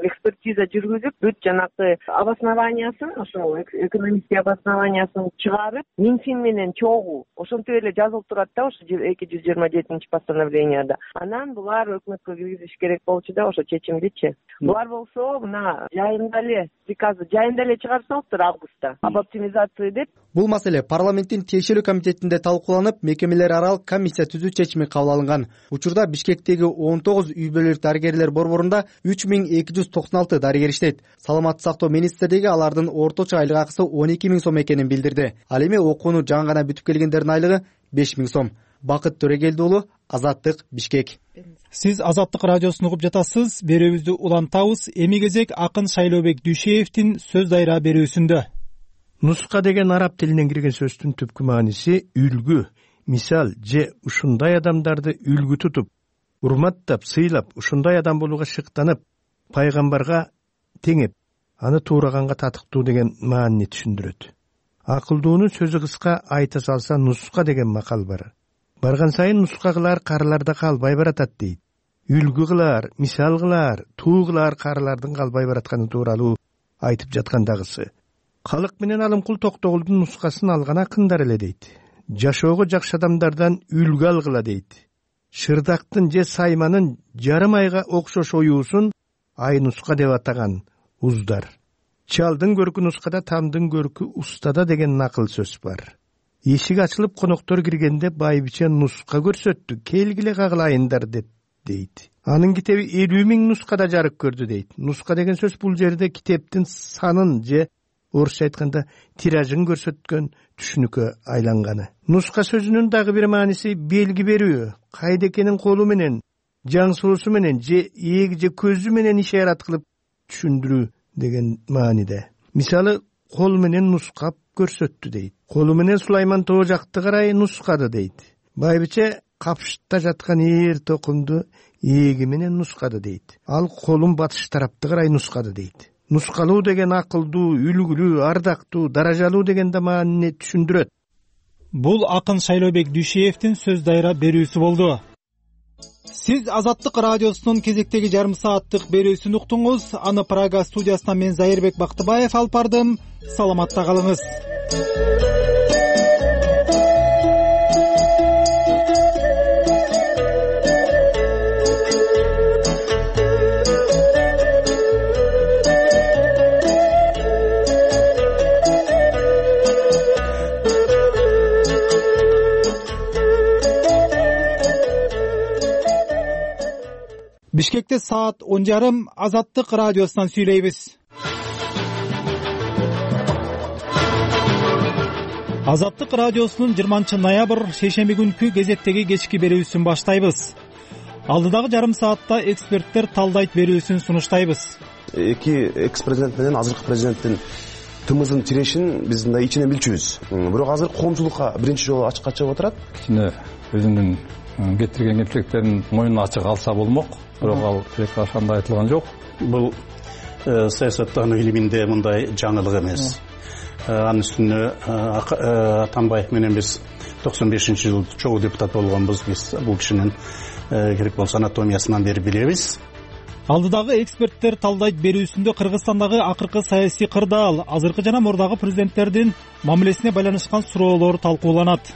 [SPEAKER 21] экспертиза жүргүзүп, бүт жанагы обоснованиясын, ошол экономический обоснованиясын чыгарып, Минфин менен чогуу ошентип эле жазылып турат да, ошо эки жүз жыйырма жетинчи постановленияда. Анан булар өкмөткө киргизиш керек болчу да, ошо чечимдичи. Булар болсо мына жайында эле приказы жайында эле чыгарсаңыздар августта об оптимизации деп.
[SPEAKER 17] Бул маселе парламенттин тиешелүү комитетинде талкууланып, мекемелер аралык комиссия түзүү чечими кабыл алынган. Учурда Бишкектеги он тогуз үй бүлөлүк дарыгерлер борборунда үч миң эки жүз токсон алты дарыгер иштейт. Саламаттык сактоо министрлиги алардын орточо айлык акысы он эки миң сом экенин билдирди. Ал эми окууну жаңы гана бүтүп келгендердин айлыгы беш миң сом. Бакыт Төрөгелди уулу, Азаттык, Бишкек.
[SPEAKER 1] Сиз Азаттык радиосун угуп жатасыз. Берүүбүздү улантабыз. Эми кезек акын Шайлообек Дүйшеевдин сөз дайра берүүсүндө.
[SPEAKER 22] Нуска деген араб тилинен кирген сөздүн түпкү мааниси үлгү, мисал же ушундай адамдарды үлгү тутуп, урматтап, сыйлап, ушундай адам болууга шыктанып, пайгамбарга теңеп, аны туураганга татыктуу деген маанини түшүндүрөт. Акылдуунун сөзү кыска, айта салса нуска деген макал бар. Барган сайын нуска кылар карыларда калбай баратат дейт. Үлгү кылар, мисал кылар, туу кылар карылардын калбай баратканы тууралуу айтып жаткандагысы. Калык менен Алымкул Токтогулдун нускасын алган акындар эле дейт. Жашоого жакшы адамдардан үлгү алгыла дейт. Шырдактын же сайманын жарым айга окшош оюусун ай нуска деп атаган уздар. Чалдын көркү нускада, тамдын көркү устада деген накыл сөз бар. Эшик ачылып коноктор киргенде байбиче нуска көрсөттү, келгиле кагылайындар деп дейт. Анын китеби элүү миң нускада жарык көрдү дейт. Нуска деген сөз бул жерде китептин санын же орусча айтканда тиражын көрсөткөн түшүнүккө айланганы. Нуска сөзүнүн дагы бир мааниси белги берүү, кайда экенин колу менен, жаңсоосу менен же ээги же көзү менен ишарат кылып түшүндүрүү деген мааниде. Мисалы, кол менен нускап көрсөттү дейт. Колу менен Сулайман тоо жакты карай нускады дейт. Байбиче капшытта жаткан эр токумду эги менен нускады дейт. Ал колун батыш тарапты карай нускады дейт. Нускалуу деген акылдуу, үлгүлүү, ардактуу, даражалуу деген да маанини түшүндүрөт.
[SPEAKER 1] Бул акын Шайлообек Дүйшеевдин сөз дайра берүүсү болду. Сиз Азаттык радиосунун кезектеги жарым сааттык берүүсүн уктуңуз. Аны Прага студиясынан мен Зайырбек Бактыбаев алып бардым. Саламатта калыңыз. Бишкекте саат он жарым. Азаттык радиосунан сүйлөйбүз. Азаттык радиосунун жыйырманчы ноябрь шейшемби күнкү кезектеги кечки берүүсүн баштайбыз. Алдыдагы жарым саатта эксперттер талдайт берүүсүн сунуштайбыз.
[SPEAKER 6] Эки экс президент менен азыркы президенттин тымызын тирешин биз мындай ичинен билчүбүз. Бирок азыр коомчулукка биринчи жолу ачыкка чыгып отурат.
[SPEAKER 7] Кичине өзүнүн кетирген кемчиликтерин моюнуна ачык алса болмок. Бирок ал тилек ошондой айтылган жок.
[SPEAKER 23] Бул саясаттануу илиминде мындай жаңылык эмес. Анын үстүнө Атамбаев менен биз токсон бешинчи жылы чогуу депутат болгонбуз. Биз бул кишинин керек болсо анатомиясынан бери билебиз.
[SPEAKER 1] Алдыдагы эксперттер талдайт берүүсүндө Кыргызстандагы акыркы саясий кырдаал, азыркы жана мурдагы президенттердин мамилесине байланышкан суроолор талкууланат.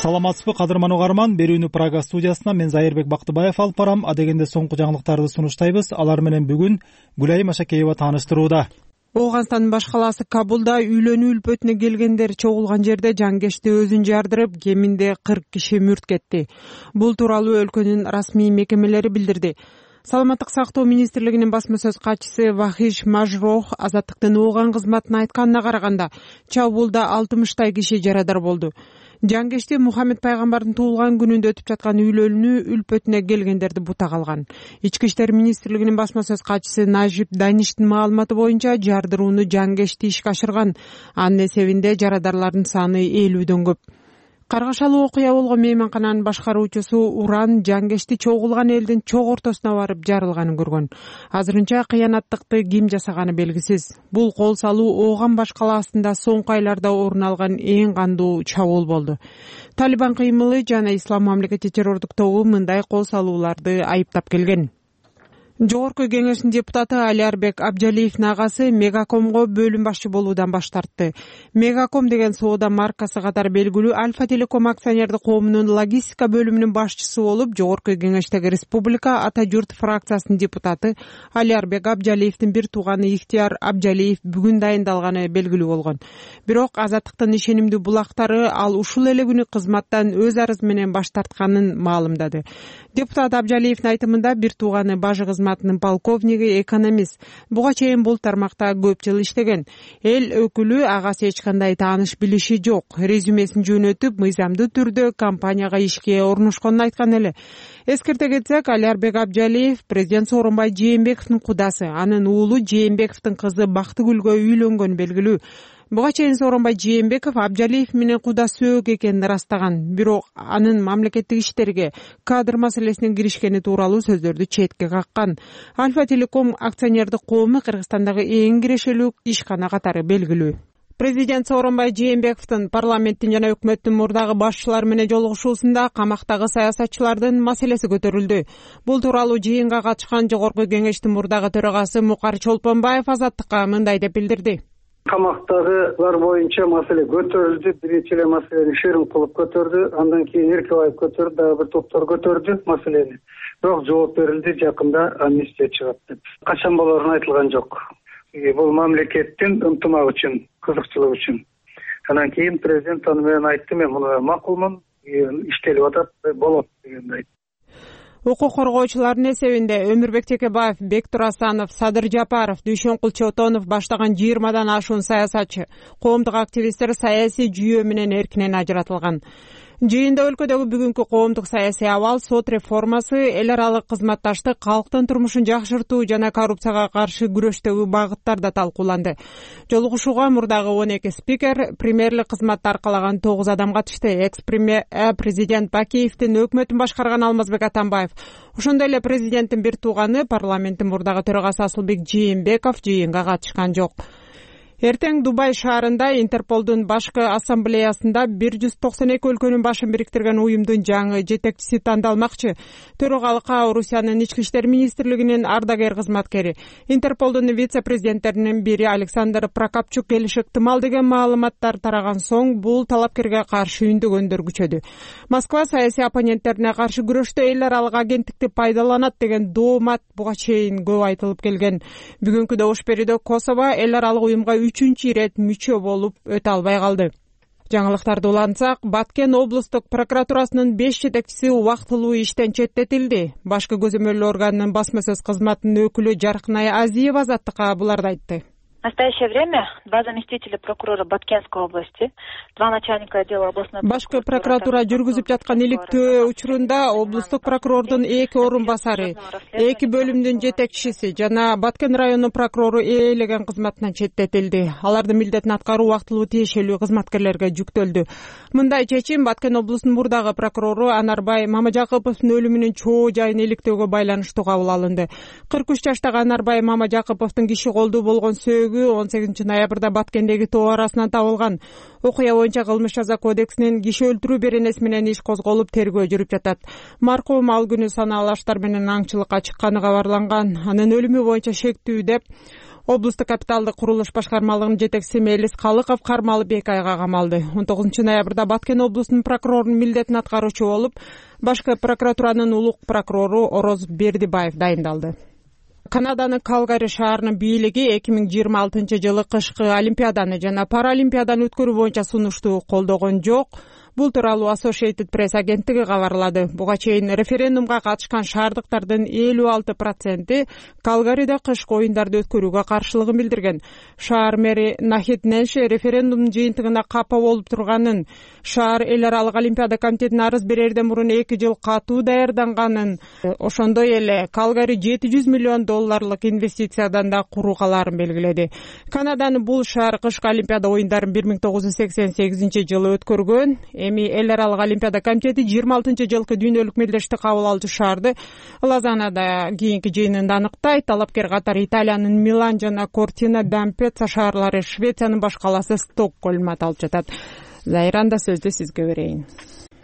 [SPEAKER 1] Саламатсызбы кадырман угарман, берүүнү Прага студиясынан мен Зайырбек Бактыбаев алып барам. Адегенде соңку жаңылыктарды сунуштайбыз. Алар менен бүгүн Гүлайым Ашакеева тааныштырууда.
[SPEAKER 24] Ооганстандын баш калаасы Кабулда үйлөнүү үлпөтүнө келгендер чогулган жерде жангешти өзүн жардырып, кеминде кырк киши мүрт кетти. Бул тууралуу өлкөнүн расмий мекемелери билдирди. Саламаттык сактоо министрлигинин басма сөз катчысы Вахиш Мажрох Азаттыктын ооган кызматына айтканына караганда, чабуулда алтымыштай киши жарадар болду. Жангешти Мухаммед пайгамбардын туулган күнүндө өтүп жаткан үйлөнүү үлпөтүнө келгендерди бута калган. Ички иштер министрлигинин басма сөз катчысы Нажип Даништин маалыматы боюнча жардырууну жангешти ишке ашырган. Анын эсебинде жарадарлардын саны элүүдөн көп. Каргашалуу окуя болгон мейманкананын башкаруучусу Уран жангешти чогулган элдин чок ортосуна барып жарылганын көргөн. Азырынча кыянаттыкты ким жасаганы белгисиз. Бул кол салуу Ооган баш калаасында соңку айларда орун алган эң кандуу чабуул болду. Талибан кыймылы жана Ислам мамлекети террордук тобу мындай кол салууларды айыптап келген. Жогорку кеңештин депутаты Алиарбек Абжалиевдин агасы Мегакомго бөлүм башчы болуудан баш тартты. Мегаком деген соода маркасы катары белгилүү Альфа Телеком акционердик коомунун логистика бөлүмүнүн башчысы болуп, Жогорку кеңештеги Республика Ата журт фракциясынын депутаты Алиарбек Абжалиевдин бир тууганы Ихтияр Абжалиев бүгүн дайындалганы белгилүү болгон. Бирок Азаттыктын ишенимдүү булактары ал ушул эле күнү кызматтан өз арызы менен баш тартканын маалымдады. Депутат Абжалиевдин айтымында бир тууганы бажы кызматынын полковниги, экономист. Буга чейин бул тармакта көп жыл иштеген. Эл өкүлү агасы эч кандай тааныш билиши жок. Резюмесин жөнөтүп, мыйзамдуу түрдө компанияга ишке орношконун айткан эле. Эскерте кетсек, Алиарбек Абжалиев президент Сооронбай Жээнбековдун кудасы. Анын уулу Жээнбековдун кызы Бактыгүлгө үйлөнгөнү белгилүү. Буга чейин Сооронбай Жээнбеков Абжалиев менен куда сөөк экенин ырастаган. Бирок анын мамлекеттик иштерге кадр маселесине киришкени тууралуу сөздөрдү четке каккан. Альфа Телеком акционердик коому Кыргызстандагы эң кирешелүү ишкана катары белгилүү. Президент Сооронбай Жээнбековдун парламенттин жана өкмөттүн мурдагы башчылары менен жолугушуусунда камактагы саясатчылардын маселеси көтөрүлдү. Бул тууралуу жыйынга катышкан Жогорку кеңештин мурдагы төрагасы Мукар Чолпонбаев Азаттыкка мындай деп билдирди.
[SPEAKER 25] Камактагылар боюнча маселе көтөрүлдү. Биринчи эле маселени Шеримкулов көтөрдү, андан кийин Эркебаев көтөрдү, дагы бир топтор көтөрдү маселени. Бирок жооп берилди, жакында амнистия чыгат деп. Качан болорун айтылган жок. Бул мамлекеттин ынтымак үчүн, кызыкчылык үчүн. Андан кийин президент аны менен айтты, мен муну макулмун, иштелип атат, болот дегенди айтты.
[SPEAKER 24] Укук коргоочулардын эсебинде Өмүрбек Текебаев, Бектур Асанов, Садыр Жапаров, Дүйшөнкул Чотонов баштаган жыйырмадан ашуун саясатчы, коомдук активисттер саясий жүйөө менен эркинен ажыратылган. Жыйында өлкөдөгү бүгүнкү коомдук саясий абал, сот реформасы, эл аралык кызматташтык, калктын турмушун жакшыртуу жана коррупцияга каршы күрөштөгү багыттар да талкууланды. Жолугушууга мурдагы он эки спикер, премьерлик кызматты аркалаган тогуз адам катышты. Экс-премьер президент Бакиевдин өкмөтүн башкарган Алмазбек Атамбаев, ошондой эле президенттин бир тууганы, парламенттин мурдагы төрагасы Асылбек Жээнбеков жыйынга катышкан жок. Эртең Дубай шаарында Интерполдун башкы ассамблеясында бир жүз токсон эки өлкөнүн башын бириктирген уюмдун жаңы жетекчиси тандалмакчы. Төрагалыкка Орусиянын ички иштер министрлигинин ардагер кызматкери, Интерполдун вице-президенттеринин бири Александр Прокопчук келиши ыктымал деген маалыматтар тараган соң бул талапкерге каршы үндөгөндөр күчөдү. Москва саясий оппоненттерине каршы күрөштө эл аралык агенттикти пайдаланат деген доомат буга чейин көп айтылып келген. Бүгүнкү добуш берүүдө Косово эл аралык уюмга үчүнчү ирет мүчө болуп өтө албай калды. Жаңылыктарды улантсак, Баткен облустук прокуратурасынын беш жетекчиси убактылуу иштен четтетилди. Башкы көзөмөлдөө органынын басма сөз кызматынын өкүлү Жаркынай Азиева Азаттыкка буларды айтты.
[SPEAKER 2] В настоящее время два заместителя прокурора Баткенской области, два начальника отдела областной
[SPEAKER 24] башкы прокуратура жүргүзүп жаткан иликтөө учурунда облустук прокурордун эки орун басары, эки бөлүмдүн жетекчиси жана Баткен районунун прокурору ээлеген кызматынан четтетилди. Алардын милдетин аткаруу убактылуу тиешелүү кызматкерлерге жүктөлдү. Мындай чечим Баткен облусунун мурдагы прокурору Анарбай Мамажакыповдун өлүмүнүн чоо жайын иликтөөгө байланыштуу кабыл алынды. кырк үч жаштагы Анарбай Мамажакыповдун киши колдуу болгон сөөгү он сегизинчи ноябрда Баткендеги тоо арасынан табылган. Окуя боюнча кылмыш жаза кодексинин киши өлтүрүү беренеси менен иш козголуп, тергөө жүрүп жатат. Маркум ал күнү санаалаштар менен аңчылыкка чыкканы кабарланган. Анын өлүмү боюнча шектүү деп облустук капиталдык курулуш башкармалыгынын жетекчиси Мелис Калыков кармалып эки айга камалды. он тогузунчу ноябрда Баткен облусунун прокурорунун милдетин аткаруучу болуп, башкы прокуратуранын улук прокурору Ороз Бердибаев дайындалды. Канаданын Калгари шаарынын бийлиги эки миң жыйырма алтынчы жылы кышкы Олимпиаданы жана Паралимпиаданы өткөрүү боюнча сунушту колдогон жок. Бул тууралуу Associated Press агенттиги кабарлады. Буга чейин референдумга катышкан шаардыктардын элүү алты проценти Калгариде кышкы оюндарды өткөрүүгө каршылыгын билдирген. Шаар мэри Нахид Ненше референдумдун жыйынтыгына капа болуп турганын, шаар эл аралык Олимпиада комитетине арыз берерден мурун эки жыл катуу даярданганын, ошондой эле Калгари жети жүз миллион долларлык инвестициядан да куруугаларын белгиледи. Канаданын бул шаар кышкы Олимпиада оюндарын бир миң тогуз жүз сексен сегизинчи жылы өткөргөн. Эми эл аралык Олимпиада комитети жыйырма алтынчы жылкы дүйнөлүк мелдешти кабыл алуучу шаарды Лозаннада кийинки жыйынында аныктайт. Талапкер катары Италиянын Милан жана Кортина d'Ampezzo шаарлары, Швециянын баш калаасы Стокгольм аталып жатат. Зайранда сөздү сизге берейин.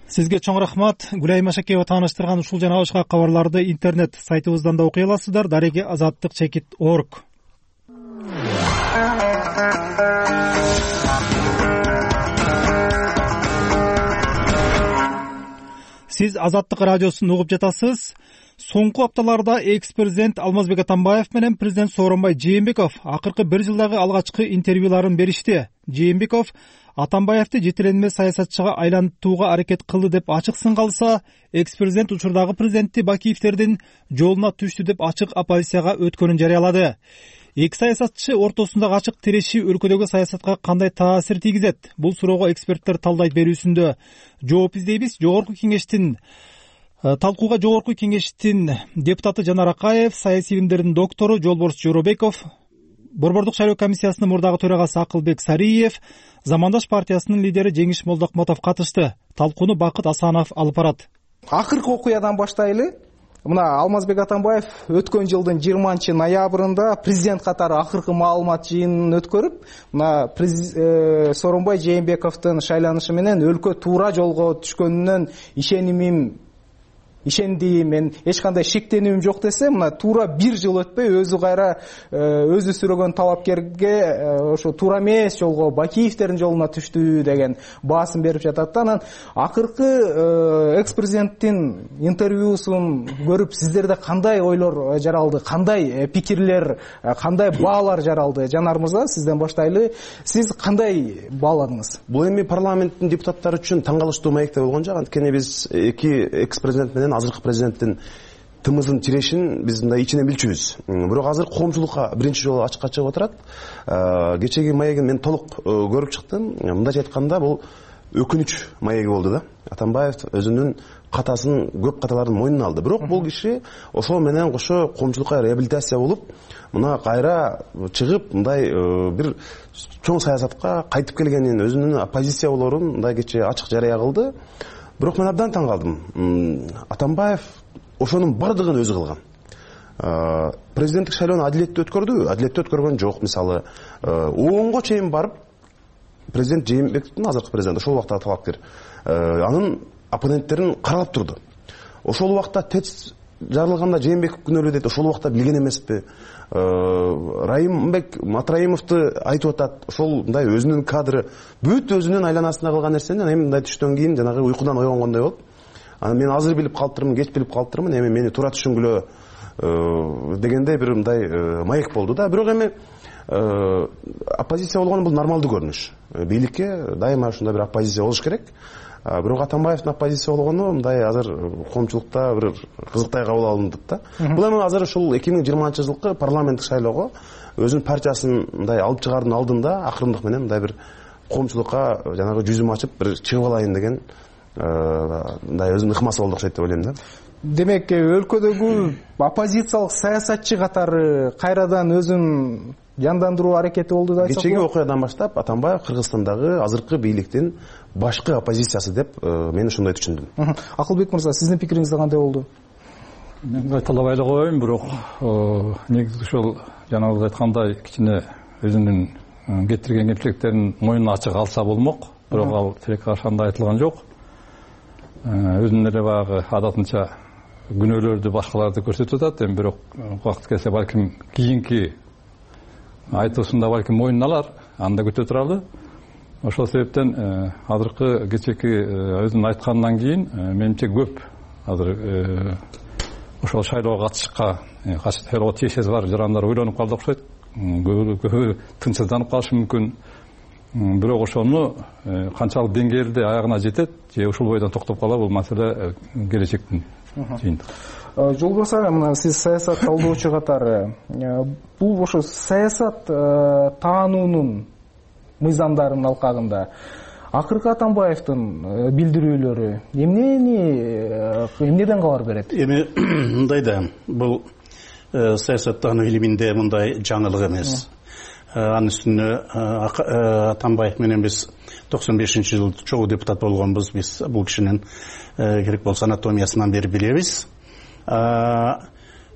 [SPEAKER 1] Сизге чоң рахмат. Гүлай Машакеева тааныштырган ушул жана башка кабарларды интернет сайтыбыздан да окуй аласыздар. Дареги азаттык чекит орг. Сиз Азаттык радиосун угуп жатасыз. Соңку апталарда экс-президент Алмазбек Атамбаев менен президент Сооронбай Жээнбеков акыркы бир жылдагы алгачкы интервьюларын беришти. Жээнбеков Атамбаевди жетиленме саясатчыга айлантууга аракет кылды деп ачык сынга алса, экс-президент учурдагы президенти Бакиевдердин жолуна түштү деп ачык оппозицияга өткөнүн жарыялады. Эки саясатчы ортосундагы ачык тирешүү өлкөдөгү саясатка кандай таасир тийгизет? Бул суроого эксперттер талдайт берүүсүндө жооп издейбиз. Жогорку кеңештин талкууга Жогорку кеңештин депутаты Жанар Акаев, саясий билимдердин доктору Жолборс Жоробеков, Борбордук шайлоо комиссиясынын мурдагы төрагасы Акылбек Сариев, Замандаш партиясынын лидери Жеңиш Молдокмотов катышты. Талкууну Бакыт Асанов алып барат.
[SPEAKER 3] Акыркы окуядан баштайлы. Мына Алмазбек Атамбаев өткөн жылдын жыйырманчы ноябрында президент катары акыркы маалымат жыйынын өткөрүп, мына Сооронбай Жээнбековдун шайланышы менен өлкө туура жолго түшкөнүнөн ишенимим ишенди, мен эч кандай шектенүүм жок десе, мына туура бир жыл өтпөй өзү кайра өзү сүрөгөн талапкерге ошо туура эмес жолго, Бакиевдердин жолуна түштү деген баасын берип жатат да. Анан акыркы экс-президенттин интервьюсун көрүп сиздерде кандай ойлор жаралды, кандай пикирлер, кандай баалар жаралды? Жанар мырза, сизден баштайлы. Сиз кандай бааладыңыз?
[SPEAKER 6] Бул эми парламенттин депутаттары үчүн таң калыштуу маекте болгон жок. Анткени биз эки экс-президент менен азыркы президенттин тымыздын тирешин биз мындай ичинен билчүбүз. Бирок азыр коомчулукка биринчи жолу ачыкка чыгып отурат. Кечеги маегин мен толук көрүп чыктым. Мындайча айтканда, бул өкүнүч маеги болду да. Атамбаев өзүнүн катасын, көп каталарын мойнуна алды. Бирок бул киши ошол менен кошо коомчулукка реабилитация болуп, мына кайра чыгып, мындай бир чоң саясатка кайтып келгенин, өзүнүн оппозиция болорун мындай кечээ ачык жарыя кылды. Бирок мен абдан таң калдым. Атамбаев ошонун бардыгын өзү кылган. Президенттик шайлоону адилеттүү өткөрдүбү? Адилеттүү өткөргөн жок. Мисалы, оонго чейин барып, президент Жээнбековдун азыркы президенти ошол убакта талапкер, анын оппоненттерин каралап турду. Ошол убакта ТЭЦ жарылганда Жээнбеков күнөөлүү дейт. Ошол убакта билген эмеспи? Райымбек Матраимовду айтып атат. Ошол мындай өзүнүн кадры бүт өзүнүн айланасында кылган нерсени эми мындай түштөн кийин жанагы уйкудан ойгонгондой болуп, анан мен азыр билип калыптырмын, кеч билип калыптырмын, эми мени туура түшүнгүлө дегендей бир мындай маек болду да. Бирок эми оппозиция болгон бул нормалдуу көрүнүш. Бийликке дайыма ушундай бир оппозиция болуш керек. Бирок Атамбаевдин оппозиция болгону мындай азыр коомчулукта бир кызыктай кабыл алынды да. Бул эми азыр ушул эки миң жыйырманчы жылкы парламенттик шайлоого өзүнүн партиясын мындай алып чыгаардын алдында акырындык менен мындай бир коомчулукка жанагы жүзүм ачып бир чыгып алайын деген мындай өзүнүн ыкмасы болду окшойт деп ойлойм да.
[SPEAKER 3] Демек, өлкөдөгү оппозициялык саясатчы катары кайрадан өзүн жандандыруу аракети болду да.
[SPEAKER 6] Кечеги окуядан баштап Атамбаев Кыргызстандагы азыркы бийликтин башкы оппозициясы деп мен ошондой түшүндүм.
[SPEAKER 3] Акылбек мырза, сиздин пикириңиз кандай болду?
[SPEAKER 7] Мен кайталабай эле коеюн, бирок негизи ушул жанагы айткандай кичине өзүнүн кетирген кемчилектерин моюнуна ачык алса болмок. Бирок ал тилек ошондой айтылган жок. Өзүнүн эле баягы адатынча күнөөлөрдү башкаларды көрсөтүп атат. Эми бирок убакыт келсе балким кийинки айтуусунда балким моюнуна алар, анда күтө туралы. Ошол себептен азыркы кечеки өзүнүн айткандан кийин менимче көп азыр ошол шайлоого катышышка шайлоого тиешеси бар жарандар ойлонуп калды окшойт. Көбү тынчсызданып калышы мүмкүн. Бирок ошону канчалык деңгээлде аягына жетет же ушул бойдон токтоп калат, бул маселе келечектин жыйынтыгы.
[SPEAKER 3] Жолбос ага, мына сиз саясат талдоочу катары бул ошо саясат таануунун мыйзамдарынын алкагында акыркы Атамбаевдин билдирүүлөрү эмнени эмнеден кабар берет?
[SPEAKER 23] Эми мындай да, бул саясат таануу илиминде мындай жаңылык эмес. Анын үстүнө Атамбаев менен биз токсон бешинчи жылы чогуу депутат болгонбуз. Биз бул кишинин керек болсо анатомиясынан бери билебиз.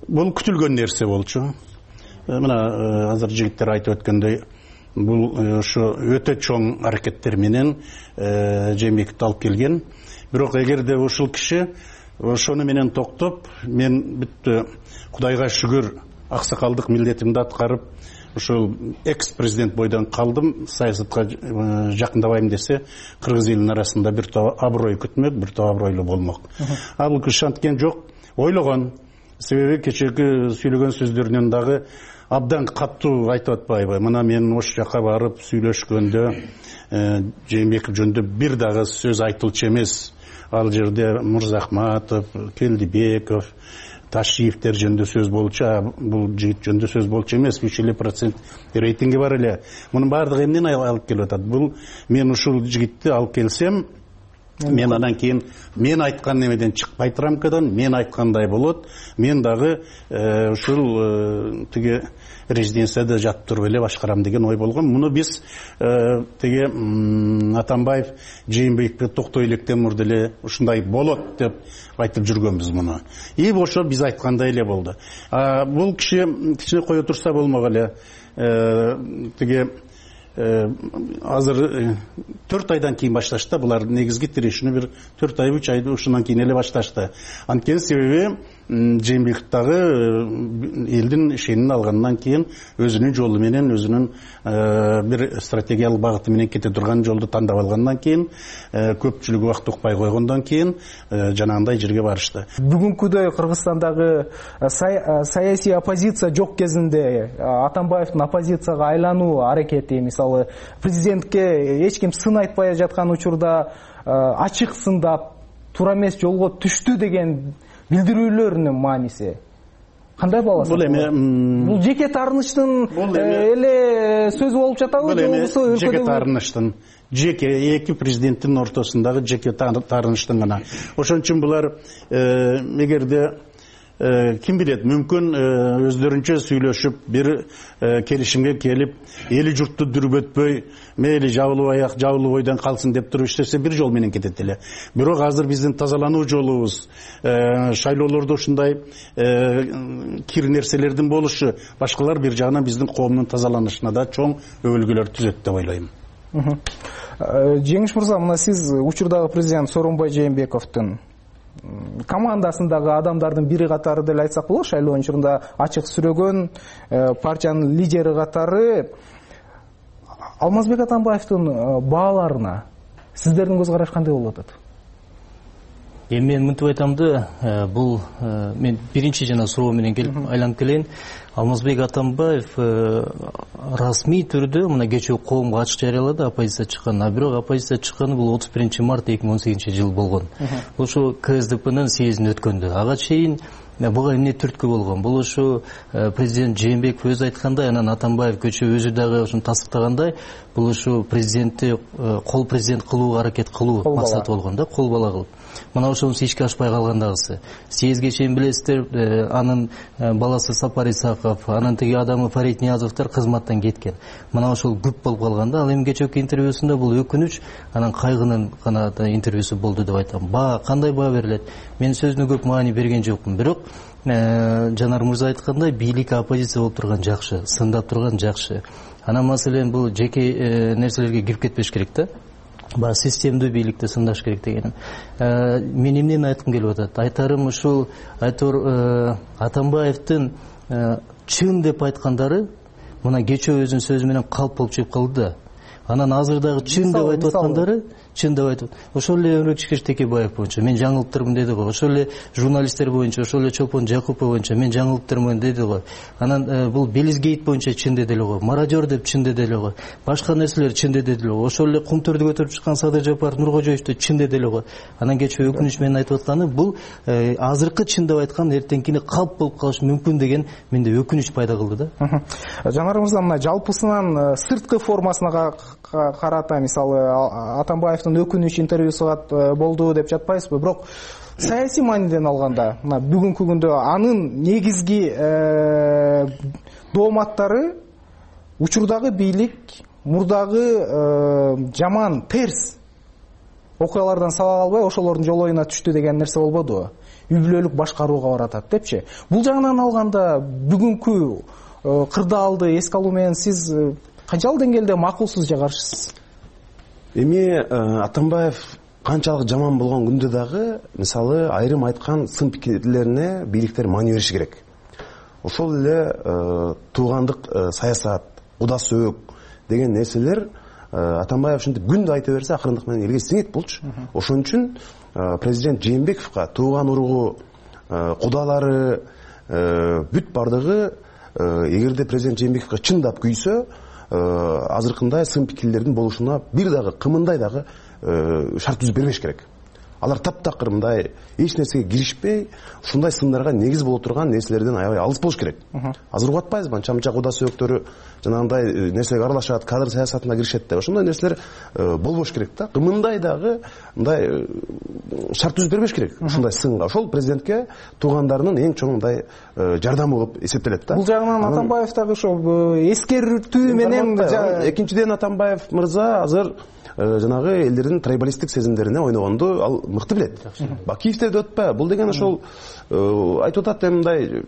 [SPEAKER 23] Бул күтүлгөн нерсе болчу. Мына азыр жигиттер айтып өткөндөй, бул ошо өтө чоң аракеттер менен Жээнбековду алып келген. Бирок эгерде ушул киши ошону менен токтоп, мен бүттү Кудайга шүгүр аксакалдык милдетимди аткарып, ушул экс-президент бойдон калдым, саясатка жакындабайм десе, кыргыз элинин арасында бир топ аброй күтмөк, бир топ абройлуу болмок. А бул киши анткен жок, ойлогон. Себеби кечеги сүйлөгөн сөздөрүнөн дагы абдан каттуу айтып атпайбы? Мына мен ош жака барып сүйлөшкөндө Жээнбеков жөнүндө бир дагы сөз айтылчу эмес. Ал жерде Мырзахматов, Келдибеков, Ташиевтер жөнүндө сөз болчу, бул жигит жөнүндө сөз болчу эмес. үч элүү процент рейтинги бар эле. Мунун баардыгы эмнени алып келип атат? Бул мен ушул жигитти алып келсем, мен андан кийин мен айткан немеден чыкпайт рамкадан, мен айткандай болот. Мен дагы ушул тиги резиденцияда жатып туруп эле башкарам деген ой болгон. Муну биз тиги Атамбаев Жээнбековго токтой электен мурда эле ушундай болот деп айтып жүргөнбүз муну. И ошо биз айткандай эле болду. Бул киши кичине кое турса болмок эле. Тиги азыр төрт айдан кийин башташты. Булар негизги тирешүүнү бир төрт ай, үч айды ушундан кийин эле башташты. Анткени себеби Жээнбеков дагы элдин ишенин алгандан кийин өзүнүн жолу менен, өзүнүн бир стратегиялык багыты менен кете турган жолду тандап алгандан кийин, көпчүлүк убакыт укпай койгондон кийин жанагындай жерге барышты.
[SPEAKER 3] Бүгүнкүдөй Кыргызстандагы саясий оппозиция жок кезинде Атамбаевдин оппозицияга айлануу аракети, мисалы президентке эч ким сын айтпай жаткан учурда ачык сындап, туура эмес жолго түштү деген билдирүүлөрүнүн мааниси кандай бааласаңыз?
[SPEAKER 23] Бул эми
[SPEAKER 3] бул жеке таарынычтын эле сөзү болуп жатабы, же болбосо
[SPEAKER 23] жеке таарынычтын, жеке эки президенттин ортосундагы жеке таарынычтын гана. Ошон үчүн булар эгерде ким билет, мүмкүн өздөрүнчө сүйлөшүп бир келишимге келип, эли журтту дүрбөтпөй, мейли жабылып аяк, жабылып ойдон калсын деп туруп иштесе бир жол менен кетет эле. Бирок азыр биздин тазалануу жолубуз, шайлоолордо ушундай кир нерселердин болушу, башкалар бир жагынан биздин коомдун тазаланышына да чоң өбөлгөлөр түзөт деп ойлойм.
[SPEAKER 3] Жеңиш мырза, мына сиз учурдагы президент Сооронбай Жээнбековдун командасындагы адамдардын бири катары деле айтсак болот, шайлоо учурунда ачык сүрөгөн партиянын лидери катары. Алмазбек Атамбаевдин бааларына сиздердин көз караш кандай болуп атат?
[SPEAKER 4] Эми мен мынтип айтам да, бул мен биринчи жана суроо менен келип айланып келейин. Алмазбек Атамбаев расмий түрдө мына кечээ коомго ачык жарыялады оппозиция чыкканын, а бирок оппозиция чыкканы бул отуз биринчи март эки миң он сегизинчи жыл болгон. Бул ошо КСДПнын съездин өткөндө. Ага чейин буга эмне түрткү болгон? Бул ошо президент Жээнбеков өзү айткандай, анан Атамбаев көчө өзү дагы ошону тастыктагандай, бул ошо президентти кол президент кылууга аракет кылуу максаты болгон да, кол бала кылып. Мына ошонусу ишке ашпай калгандагысы. Съездге чейин билесиздер, анын баласы Сапар Исаков, анан тиги адамы Фарид Ниязовдор кызматтан кеткен. Мына ошол күп болуп калганда, ал эми кечээки интервьюсунда бул өкүнүч, анан кайгынын гана интервьюсу болду деп айтам. Баа кандай баа берилет? Мен сөзүнө көп маани берген жокмун, бирок Жанар мырза айткандай, бийлик оппозиция болуп турган жакшы, сындап турган жакшы. Анан маселен бул жеке нерселерге кирип кетпеш керек да. Ба системдүү бийликти сындаш керек дегеним. Мен эмнени айткым келип атат? Айтарым ушул, айтор Атамбаевдин чын деп айткандары мына кечээ өзүнүн сөзү менен калп болуп чыгып калды да. Анан азыр дагы чын деп айтып аткандары, чын деп айтып. Ошол эле Өмүрөкчү Текебаев боюнча мен жаңылыптырмын деди го. Ошол эле журналисттер боюнча, ошол эле Чолпон Жакупов боюнча мен жаңылыптырмын деди го. Анан бул Белизгейт боюнча чын деди эле го. Мародер деп чын деди эле го. Башка нерселер чын деди эле го. Ошол эле Кумтөрдү көтөрүп чыккан Садыр Жапаров, Нуркожоевду чын деди эле го. Анан кечээ өкүнүч менен айтып атканы бул азыркы чын деп айткан эртеңкини калп болуп калышы мүмкүн деген менде өкүнүч пайда кылды да.
[SPEAKER 3] Жанар мырза, мына жалпысынан сырткы формасына карата, мисалы Атамбаевдин өкүнүч интервьюсу болду деп жатпайсызбы? Бирок саясий мааниден алганда, мына бүгүнкү күндө анын негизги дооматтары учурдагы бийлик мурдагы жаман терс окуялардан сабак албай ошолордун жолоюна түштү деген нерсе болбодубу? Үй бүлөлүк башкарууга баратат депчи. Бул жагынан алганда бүгүнкү кырдаалды эске алуу менен сиз канчалык деңгээлде макулсуз же каршысыз?
[SPEAKER 6] Эми Атамбаев канчалык жаман болгон күндө дагы, мисалы, айрым айткан сын пикирлерине бийликтер маани бериши керек. Ошол эле туугандык саясат, куда сөөк деген нерселер Атамбаев ушинтип күндө айта берсе акырындык менен элге сиңет болчу. Ошон үчүн президент Жээнбековго тууган уругу, кудалары бүт бардыгы эгерде президент Жээнбековго чындап күйсө, азыркындай сын пикирлердин болушуна бир дагы кымындай дагы шарт түзүп бербеш керек. Алар таптакыр мындай эч нерсеге киришпей, ушундай сындарга негиз боло турган нерселерден аябай алыс болуш керек. Азыр угуп атпайбызбы? Анча-мынча куда сөөктөрү жанагындай нерсеге аралашат, кадр саясатына киришет деп. Ошондой нерселер болбош керек да. Кымындай дагы мындай шарт түзүп бербеш керек ушундай сынга. Ошол президентке туугандарынын эң чоң мындай жардамы болуп эсептелет да.
[SPEAKER 3] Бул жагынан Атамбаев дагы ошо эскертүү менен,
[SPEAKER 6] экинчиден Атамбаев мырза азыр жанагы элдердин трайбалисттик сезимдерине ойногонду ал мыкты билет. Бакиевде да өтпө. Бул деген ошол айтып атат мындай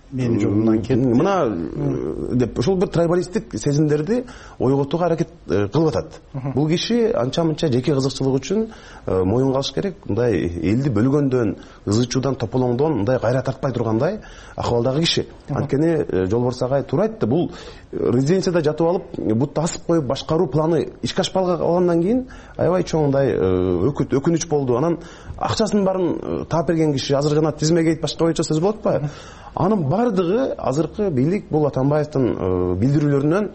[SPEAKER 23] менин жолумдан кетти.
[SPEAKER 6] Мына деп ошол бир трайбалисттик сезимдерди ойготууга аракет кылып атат. Бул киши анча-мынча жеке кызыкчылык үчүн моюнга алыш керек. Мындай элди бөлгөндөн, ызычуудан, тополоңдон мындай кайра тартпай тургандай акыбалдагы киши. Анткени Жолборс агай туура айтты. Бул резиденцияда жатып алып, бутты асып коюп башкаруу планы ишке ашпай калгандан кийин аябай чоң мындай өкүнүч болду. Анан акчасынын баарын таап берген киши азыр жана тизмеге айтып башка боюнча сөз болот атпайбы? Анын бардыгы азыркы бийлик бул Атамбаевдин билдирүүлөрүнөн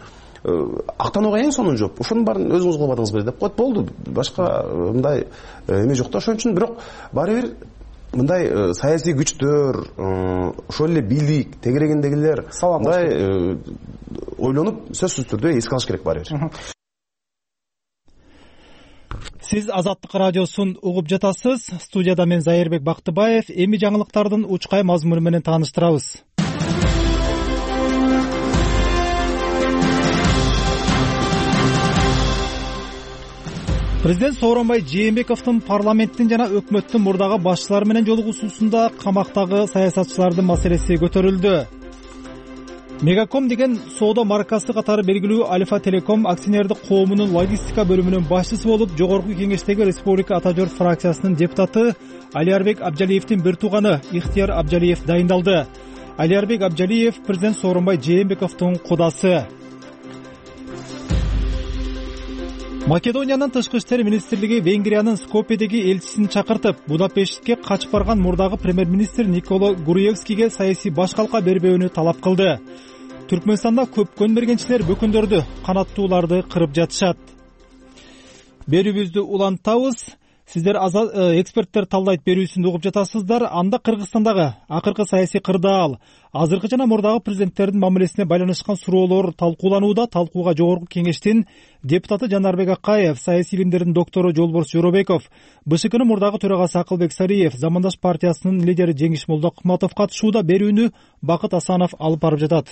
[SPEAKER 6] актанууга эң сонун жооп. Ошонун баарын өзүңүз кылбадыңызбы деп коет. Болду. Башка мындай эме жок да. Ошон үчүн бирок баары бир мындай саясий күчтөр, ошол эле бийлик тегерегиндегилер мындай ойлонуп сөзсүз түрдө эске алыш керек баары бир.
[SPEAKER 1] Сиз Азаттык радиосун угуп жатасыз. Студияда мен Зайырбек Бактыбаев. Эми жаңылыктардын учкай мазмуну менен тааныштырабыз. Президент Сооронбай Жээнбековдун парламенттин жана өкмөттүн мурдагы башчылары менен жолугушуусунда камактагы саясатчылардын маселеси көтөрүлдү. Мегаком деген соода маркасы катары белгилүү Альфа Телеком акционердик коомунун логистика бөлүмүнүн башчысы болуп, жогорку кеңештеги Республика Ата Жор фракциясынын депутаты Алиярбек Абжалиевдин бир тууганы Ихтияр Абжалиев дайындалды. Алиярбек Абжалиев президент Сооронбай Жээнбековдун кудасы. Македониянын тышкы иштер министрлиги Венгриянын Скопьедеги элчисин чакыртып, Будапештке качып барган мурдагы премьер-министр Никола Груевскийге саясий баш калка бербөөнү талап кылды. Түркмөнстанда көпкөн мергенчилер бөкүндөрдү, канаттууларды кырып жатышат. Берүүбүздү улантабыз. Сиздер эксперттер талдайт берүүсүн угуп жатасыздар. Анда Кыргызстандагы акыркы саясий кырдаал, азыркы жана мурдагы президенттердин мамилесине байланышкан суроолор талкууланууда. Талкууга жогорку кеңештин депутаты Жанарбек Акаев, саясий илимдердин доктору Жолборс Жоробеков, БШКнын мурдагы төрагасы Акылбек Сариев, Замандаш партиясынын лидери Жеңиш Молдокматов катышууда. Берүүнү Бакыт Асанов алып барып жатат.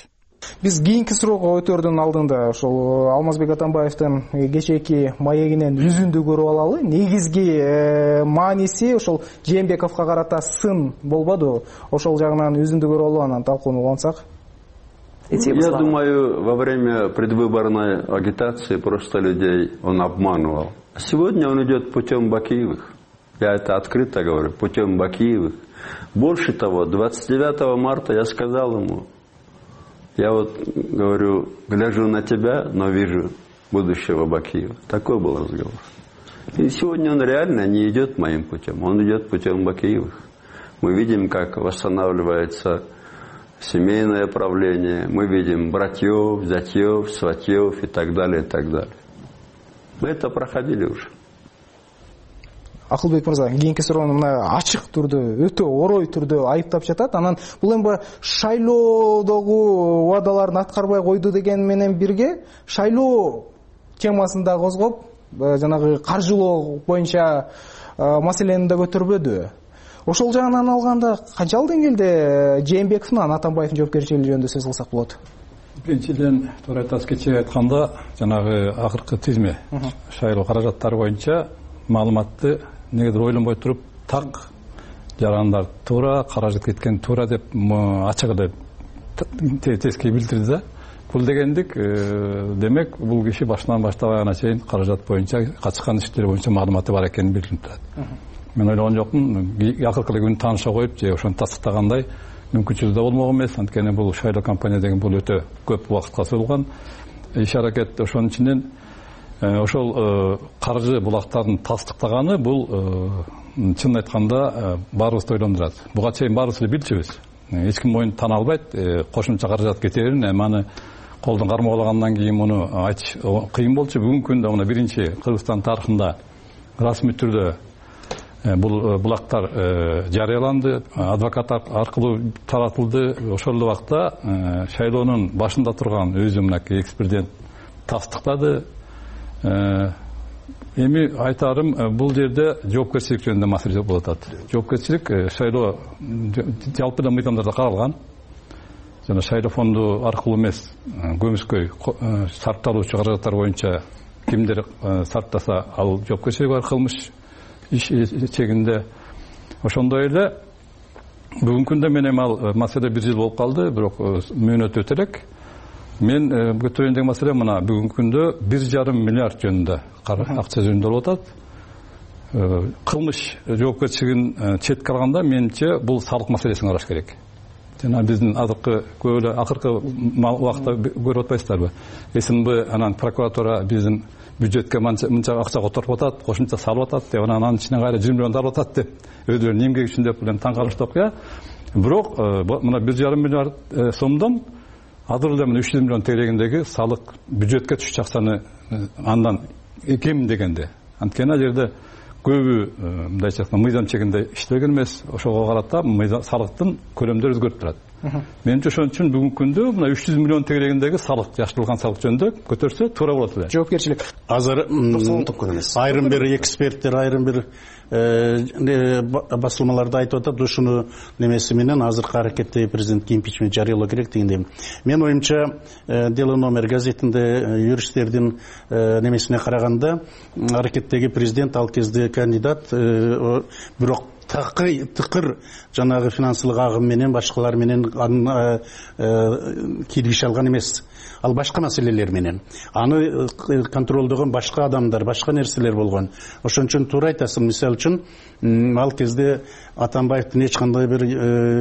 [SPEAKER 3] Биз кийинки суроого өтөрдүн алдында ошол Алмазбек Атамбаевдин кечээки маегинен үзүндү көрүп алалы. Негизги мааниси ошол Жээнбековго карата сын болбоду. Ошол жагынан үзүндү көрүп алып анан талкууну улантсак.
[SPEAKER 5] Я думаю, во время предвыборной агитации просто людей он обманывал. Сегодня он идет путем Бакиевых. Я это открыто говорю, путем Бакиевых. Больше того, двадцать девятого марта я сказал ему, я вот говорю, гляжу на тебя, но вижу будущего Бакиева. Такой был разговор. И сегодня он реально не идет моим путем, он идет путем Бакиевых. Мы видим, как восстанавливается семейное правление, мы видим братьев, зятьев, сватьев и так далее, и так далее. Мы это проходили уже.
[SPEAKER 3] Акылбек мырза, кийинки суроону мына ачык түрдө, өтө орой түрдө айыптап жатат. Анан бул эми шайлоодогу убадаларын аткарбай койду деген менен бирге шайлоо темасын да козгоп, жанагы каржылоо боюнча маселени да көтөрбөдү. Ошол жагынан алганда канчалык деңгээлде Жээнбековдун анан Атамбаевдин жоопкерчилиги жөнүндө сөз кылсак болот?
[SPEAKER 7] Биринчиден, туура айтасыз, кечээ айтканда жанагы акыркы тизме шайлоо каражаттары боюнча маалыматты негедир ойлонбой туруп так жарандар туура, каражат кеткен туура деп ачык эле тескей билдирди да. Бул дегендик, демек бул киши башынан баштабай чейин каражат боюнча качкан иштер боюнча маалыматы бар экенин билдирип турат. Мен ойлогон жокмун, акыркы күнү тааныша коюп же ошону тастыктагандай мүмкүнчүлүгү да болмок эмес. Анткени бул шайлоо компания деген бул өтө көп убакытка созулган иш аракет. Ошонун ичинен ошол каржы булактарын тастыктаганы бул чынын айтканда баарыбызды ойлондурат. Буга чейин баарыбыз эле билчүбүз. Эч ким моюн тана албайт, кошумча каражат кетерин, эми аны колдон кармалагандан кийин муну айтыш кыйын болчу. Бүгүнкү күндө мына биринчи Кыргызстан тарыхында расмий түрдө бул булактар жарыяланды, адвокат аркылуу таратылды. Ошол эле убакта шайлоонун башында турган өзү мынакей экс-президент тастыктады. Эми айтарым, бул жерде жоопкерчилик жөнүндө маселе болуп атат. Жоопкерчилик шайлоо жалпы да мыйзамдарда каралган. Жана шайлоо фонду аркылуу эмес, көмүскөй сарпталуучу каражаттар боюнча кимдер сарптаса ал жоопкерчилик бар, кылмыш иш чегинде. Ошондой эле бүгүнкү күндө мен эми ал маселе бир жыл болуп калды, бирок мөөнөт өтө элек. Мен көтөрөйүн деген маселе мына бүгүнкү күндө бир жарым миллиард жөнүндө акча жөнүндө болуп атат. Кылмыш жоопкерчилигин четке алганда менимче бул салык маселесин караш керек. Жана биздин азыркы көп эле акыркы убакытта көрүп атпайсыздарбы? СНБ анан прокуратура биздин бюджетке мынча акча которуп атат, кошумча салып атат деп, анан анын ичинен кайра жүз миллион алып атат деп, өздөрүнүн эмгеги үчүн деп таң калыштык окуя. Бирок мына бир жарым миллиард сомдон азыр эле үч жүз миллион тегерегиндеги салык бюджетке түшчү акчаны андан кем дегенде. Анткени ал жерде көбү мындайча айтканда мыйзам чегинде иштеген эмес. Ошого карата салыктын көлөмдөрү өзгөрүп турат. Менимче ошон үчүн бүгүнкү күндө мына үч жүз миллион тегерегиндеги салык, жактырылган салык жөнүндө көтөрсө туура болот эле.
[SPEAKER 3] Жоопкерчилик.
[SPEAKER 23] Азыр айрым бир эксперттер, айрым бир басылмаларда айтып атат, ушуну немеси менен азыркы аракетте президентке импичмент жарыялоо керек дегендей. Мен оюмча Дело номер газетинде юристтердин немесине караганда аракеттеги президент ал кезде кандидат, бирок такы тыкыр жанагы финансылык агым менен башкалар менен киргише алган эмес. Ал башка маселелер менен. Аны контролдогон башка адамдар, башка нерселер болгон. Ошон үчүн туура айтасың. Мисалы үчүн ал кезде Атамбаевдин эч кандай бир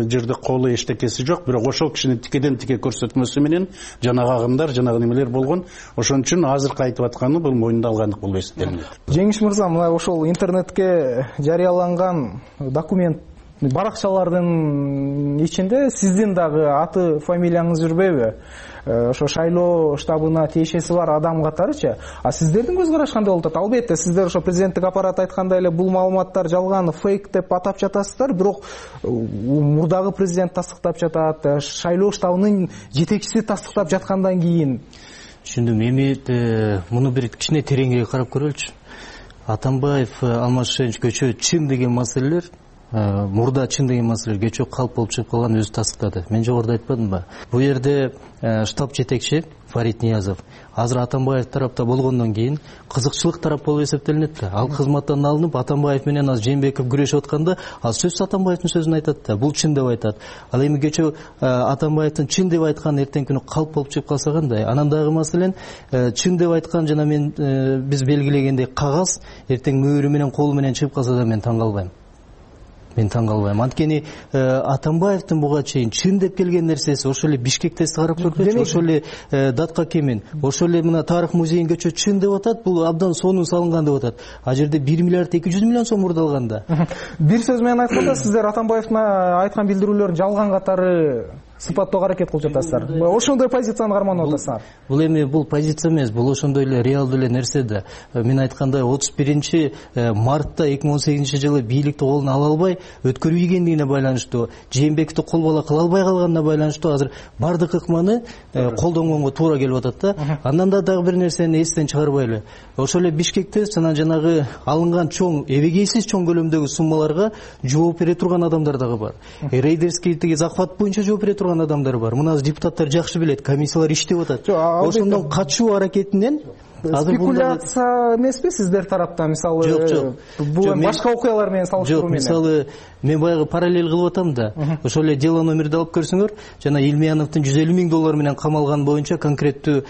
[SPEAKER 23] жерде колу эчтекеси жок, бирок ошол кишини тикеден тике көрсөтмөсү менен жанагы агымдар, жанагы немелер болгон. Ошон үчүн азыркы айтып атканы бул мойнунда алгандык болуп эсептелинет.
[SPEAKER 3] Жеңиш мырза, мына ошол интернетке жарыяланган документ баракчалардын ичинде сиздин дагы аты, фамилияңыз жүрбөйбү? Ошо шайлоо штабына тиешеси бар адам катарычы. А сиздердин көз караш кандай болуп атат? Албетте сиздер ошо президенттик аппарат айткандай эле бул маалыматтар жалган, фейк деп атап жатасыздар, бирок мурдагы президент тастыктап жатат, шайлоо штабынын жетекчиси тастыктап жаткандан кийин.
[SPEAKER 4] Түшүндүм. Эми муну бир кичине тереңирээк карап көрөлүчү. Атамбаев, Алмазбек көчө чын деген маселелер, мурда чын деген маселелер көчө калп болуп чыгып калган өзү тастыктады. Мен жогоруда айтпадымбы? Бул жерде штаб жетекчи Фарид Ниязов азыр Атамбаев тарапта болгондон кийин кызыкчылык тарап болуп эсептелинет да. Ал кызматтан алынып Атамбаев менен азыр Жээнбеков күрөшүп атканда, ал сөзсүз Атамбаевдин сөзүн айтат да. Бул чын деп айтат. Ал эми көчө Атамбаевдин чын деп айткан эртең күнү калп болуп чыгып калса кандай? Анан дагы маселен чын деп айткан жана мен биз белгилегендей кагаз эртең мөөрү менен колу менен чыгып калса да мен таң калбайм. Мен таң калбайм. Анткени Атамбаевдин буга чейин чын деп келген нерсеси ошо эле Бишкек тести карап көргүлөчү, ошо эле Датка Кемин, ошо эле мына тарых музейин көчө чын деп атат, бул абдан сонун салынган деп атат. А жерде бир миллиард эки жүз миллион сом мурдалганда.
[SPEAKER 3] Бир сөз менен айтканда сиздер Атамбаевдин айткан билдирүүлөрүн жалган катары сыпаттоого аракет кылып жатасыздар. Ошондой позицияны карманып атасыздар.
[SPEAKER 4] Бул эми бул позиция эмес, бул ошондой эле реалдуу эле нерсе да. Мен айткандай отуз биринчи мартта эки миң он сегизинчи жылы бийликти колуна ала албай өткөрбөгендигине байланыштуу, Жээнбековду кол бала кыла албай калганына байланыштуу азыр бардык ыкманы колдонгонго туура келип атат да. Андан да дагы бир нерсени эстен чыгарбайлы. Ошол эле Бишкекте жана жанагы алынган чоң, эбегейсиз чоң көлөмдөгү суммаларга жооп бере турган адамдар дагы бар. Рейдерский тиги захват боюнча жооп бере турган адамдар бар. Мына депутаттар жакшы билет, комиссиялар иштеп атат. Ошондон качуу аракетинен
[SPEAKER 3] спекуляция эмеспи сиздер тараптан? Мисалы,
[SPEAKER 4] жок, жок.
[SPEAKER 3] Бул башка окуялар менен салыштыруу менен.
[SPEAKER 4] Жок, мисалы, мен баягы параллель кылып атам да. Ошол эле дело номерди алып көрсөңөр, жана Илмияновдун жүз элүү миң доллар менен камалган боюнча конкреттүү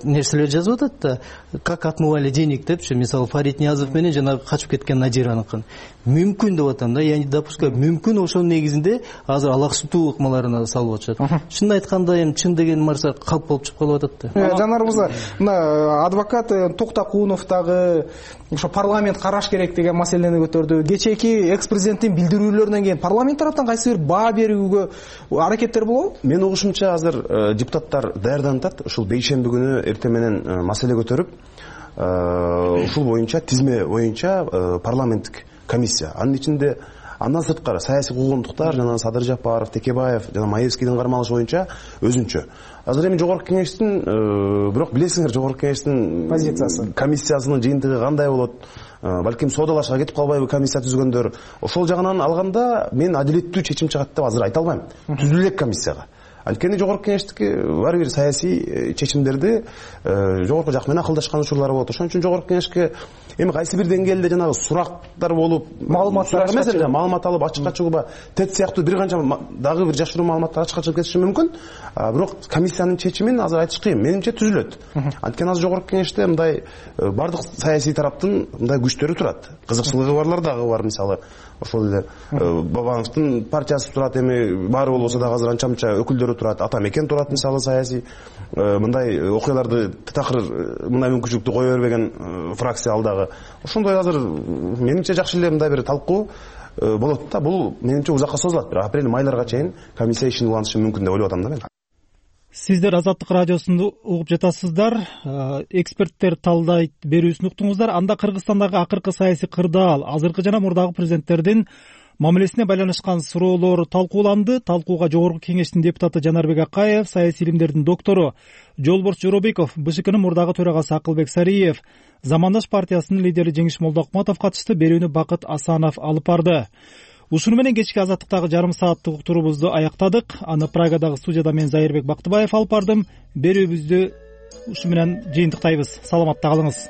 [SPEAKER 4] нерселер жазып атат да. Как отмывали денег депчи, мисалы Фарид Ниязов менен жана качып кеткен Надираныкын. Мүмкүн деп атам да, я не допускаю. Мүмкүн ошонун негизинде азыр алаксутуу ыкмаларына салып атышат. Чын айтканда эми чын деген нарса калп болуп чыгып калып атат да.
[SPEAKER 3] Жанар мырза, мына адвокат Токтакунов дагы ошо парламент караш керек деген маселени көтөрдү. Кечээки экс-президенттин билдирүүлөрүнөн кийин парламент тараптан кайсы бир баа берүүгө аракеттер болобу?
[SPEAKER 6] Мен угушумча азыр депутаттар даярданып атат. Ушул бейшемби күнү эртең менен маселе көтөрүп, ушул боюнча тизме боюнча парламенттик комиссия. Анын ичинде андан сырткары саясий куугунтуктар жана Садыр Жапаров, Текебаев жана Маевскийдин кармалышы боюнча өзүнчө. Азыр эми жогорку кеңештин, бирок билесиңер, жогорку кеңештин позициясы, комиссиясынын жыйынтыгы кандай болот? Балким соодалашка кетип калбайбы комиссия түзгөндөр? Ошол жагынан алганда мен адилеттүү чечим чыгат деп азыр айта албайм. Түзүлө элек комиссияга. Анткени жогорку кеңештики ар бир саясий чечимдерди жогорку жак менен акылдашкан учурлар болот. Ошон үчүн жогорку кеңешке эми кайсы бир деңгээлде жанагы сурактар болуп, маалыматтар эмес, маалымат алып ачыкка чыгууга тет сыяктуу бир канча дагы бир жашыруу маалыматтар ачыкка чыгып кетиши мүмкүн. Бирок комиссиянын чечимин азыр айтыш кыйын. Менимче түзүлөт. Анткени азыр жогорку кеңеште мындай бардык саясий тараптын мындай күчтөрү турат. Кызыкчылыгы барлар дагы бар, мисалы ошол эле Бабановдун партиясы турат, эми баары болбосо дагы азыр анча мынча өкүлдөрү турат, ата мекен турат, мисалы саясий мындай окуяларды такыр мындай мүмкүнчүлүктү кое бербеген фракция ал дагы. Ошондой азыр менимче жакшы эле мындай бир талкуу болот да. Бул менимче узакка созулат. Бир апрель майларга чейин комиссия ишин улантышы мүмкүн деп ойлоп атам да мен.
[SPEAKER 1] сиздер Азаттык радиосунду угуп жатасыздар. Эксперттер талдайт берүүсүн уктуңуздар. Анда Кыргызстандагы акыркы саясий кырдаал, азыркы жана мурдагы президенттердин мамилесине байланышкан суроолор талкууланды. Талкууга Жогорку Кеңештин депутаты Жанарбек Акаев, саясий илимдердин доктору Жолборс Жоробеков, БШКнын мурдагы төрагасы Акылбек Сариев, Замандаш партиясынын лидери Жеңиш Молдокматов катышты. Берүүнү Бакыт Асанов алып барды. Ушуну менен кечки Азаттыктагы жарым сааттык уктуруубузду аяктадык. Аны Прагадагы студияда мен Зайырбек Бактыбаев алып бардым. Берүүбүздү ушу менен жыйынтыктайбыз. Саламатта калыңыз.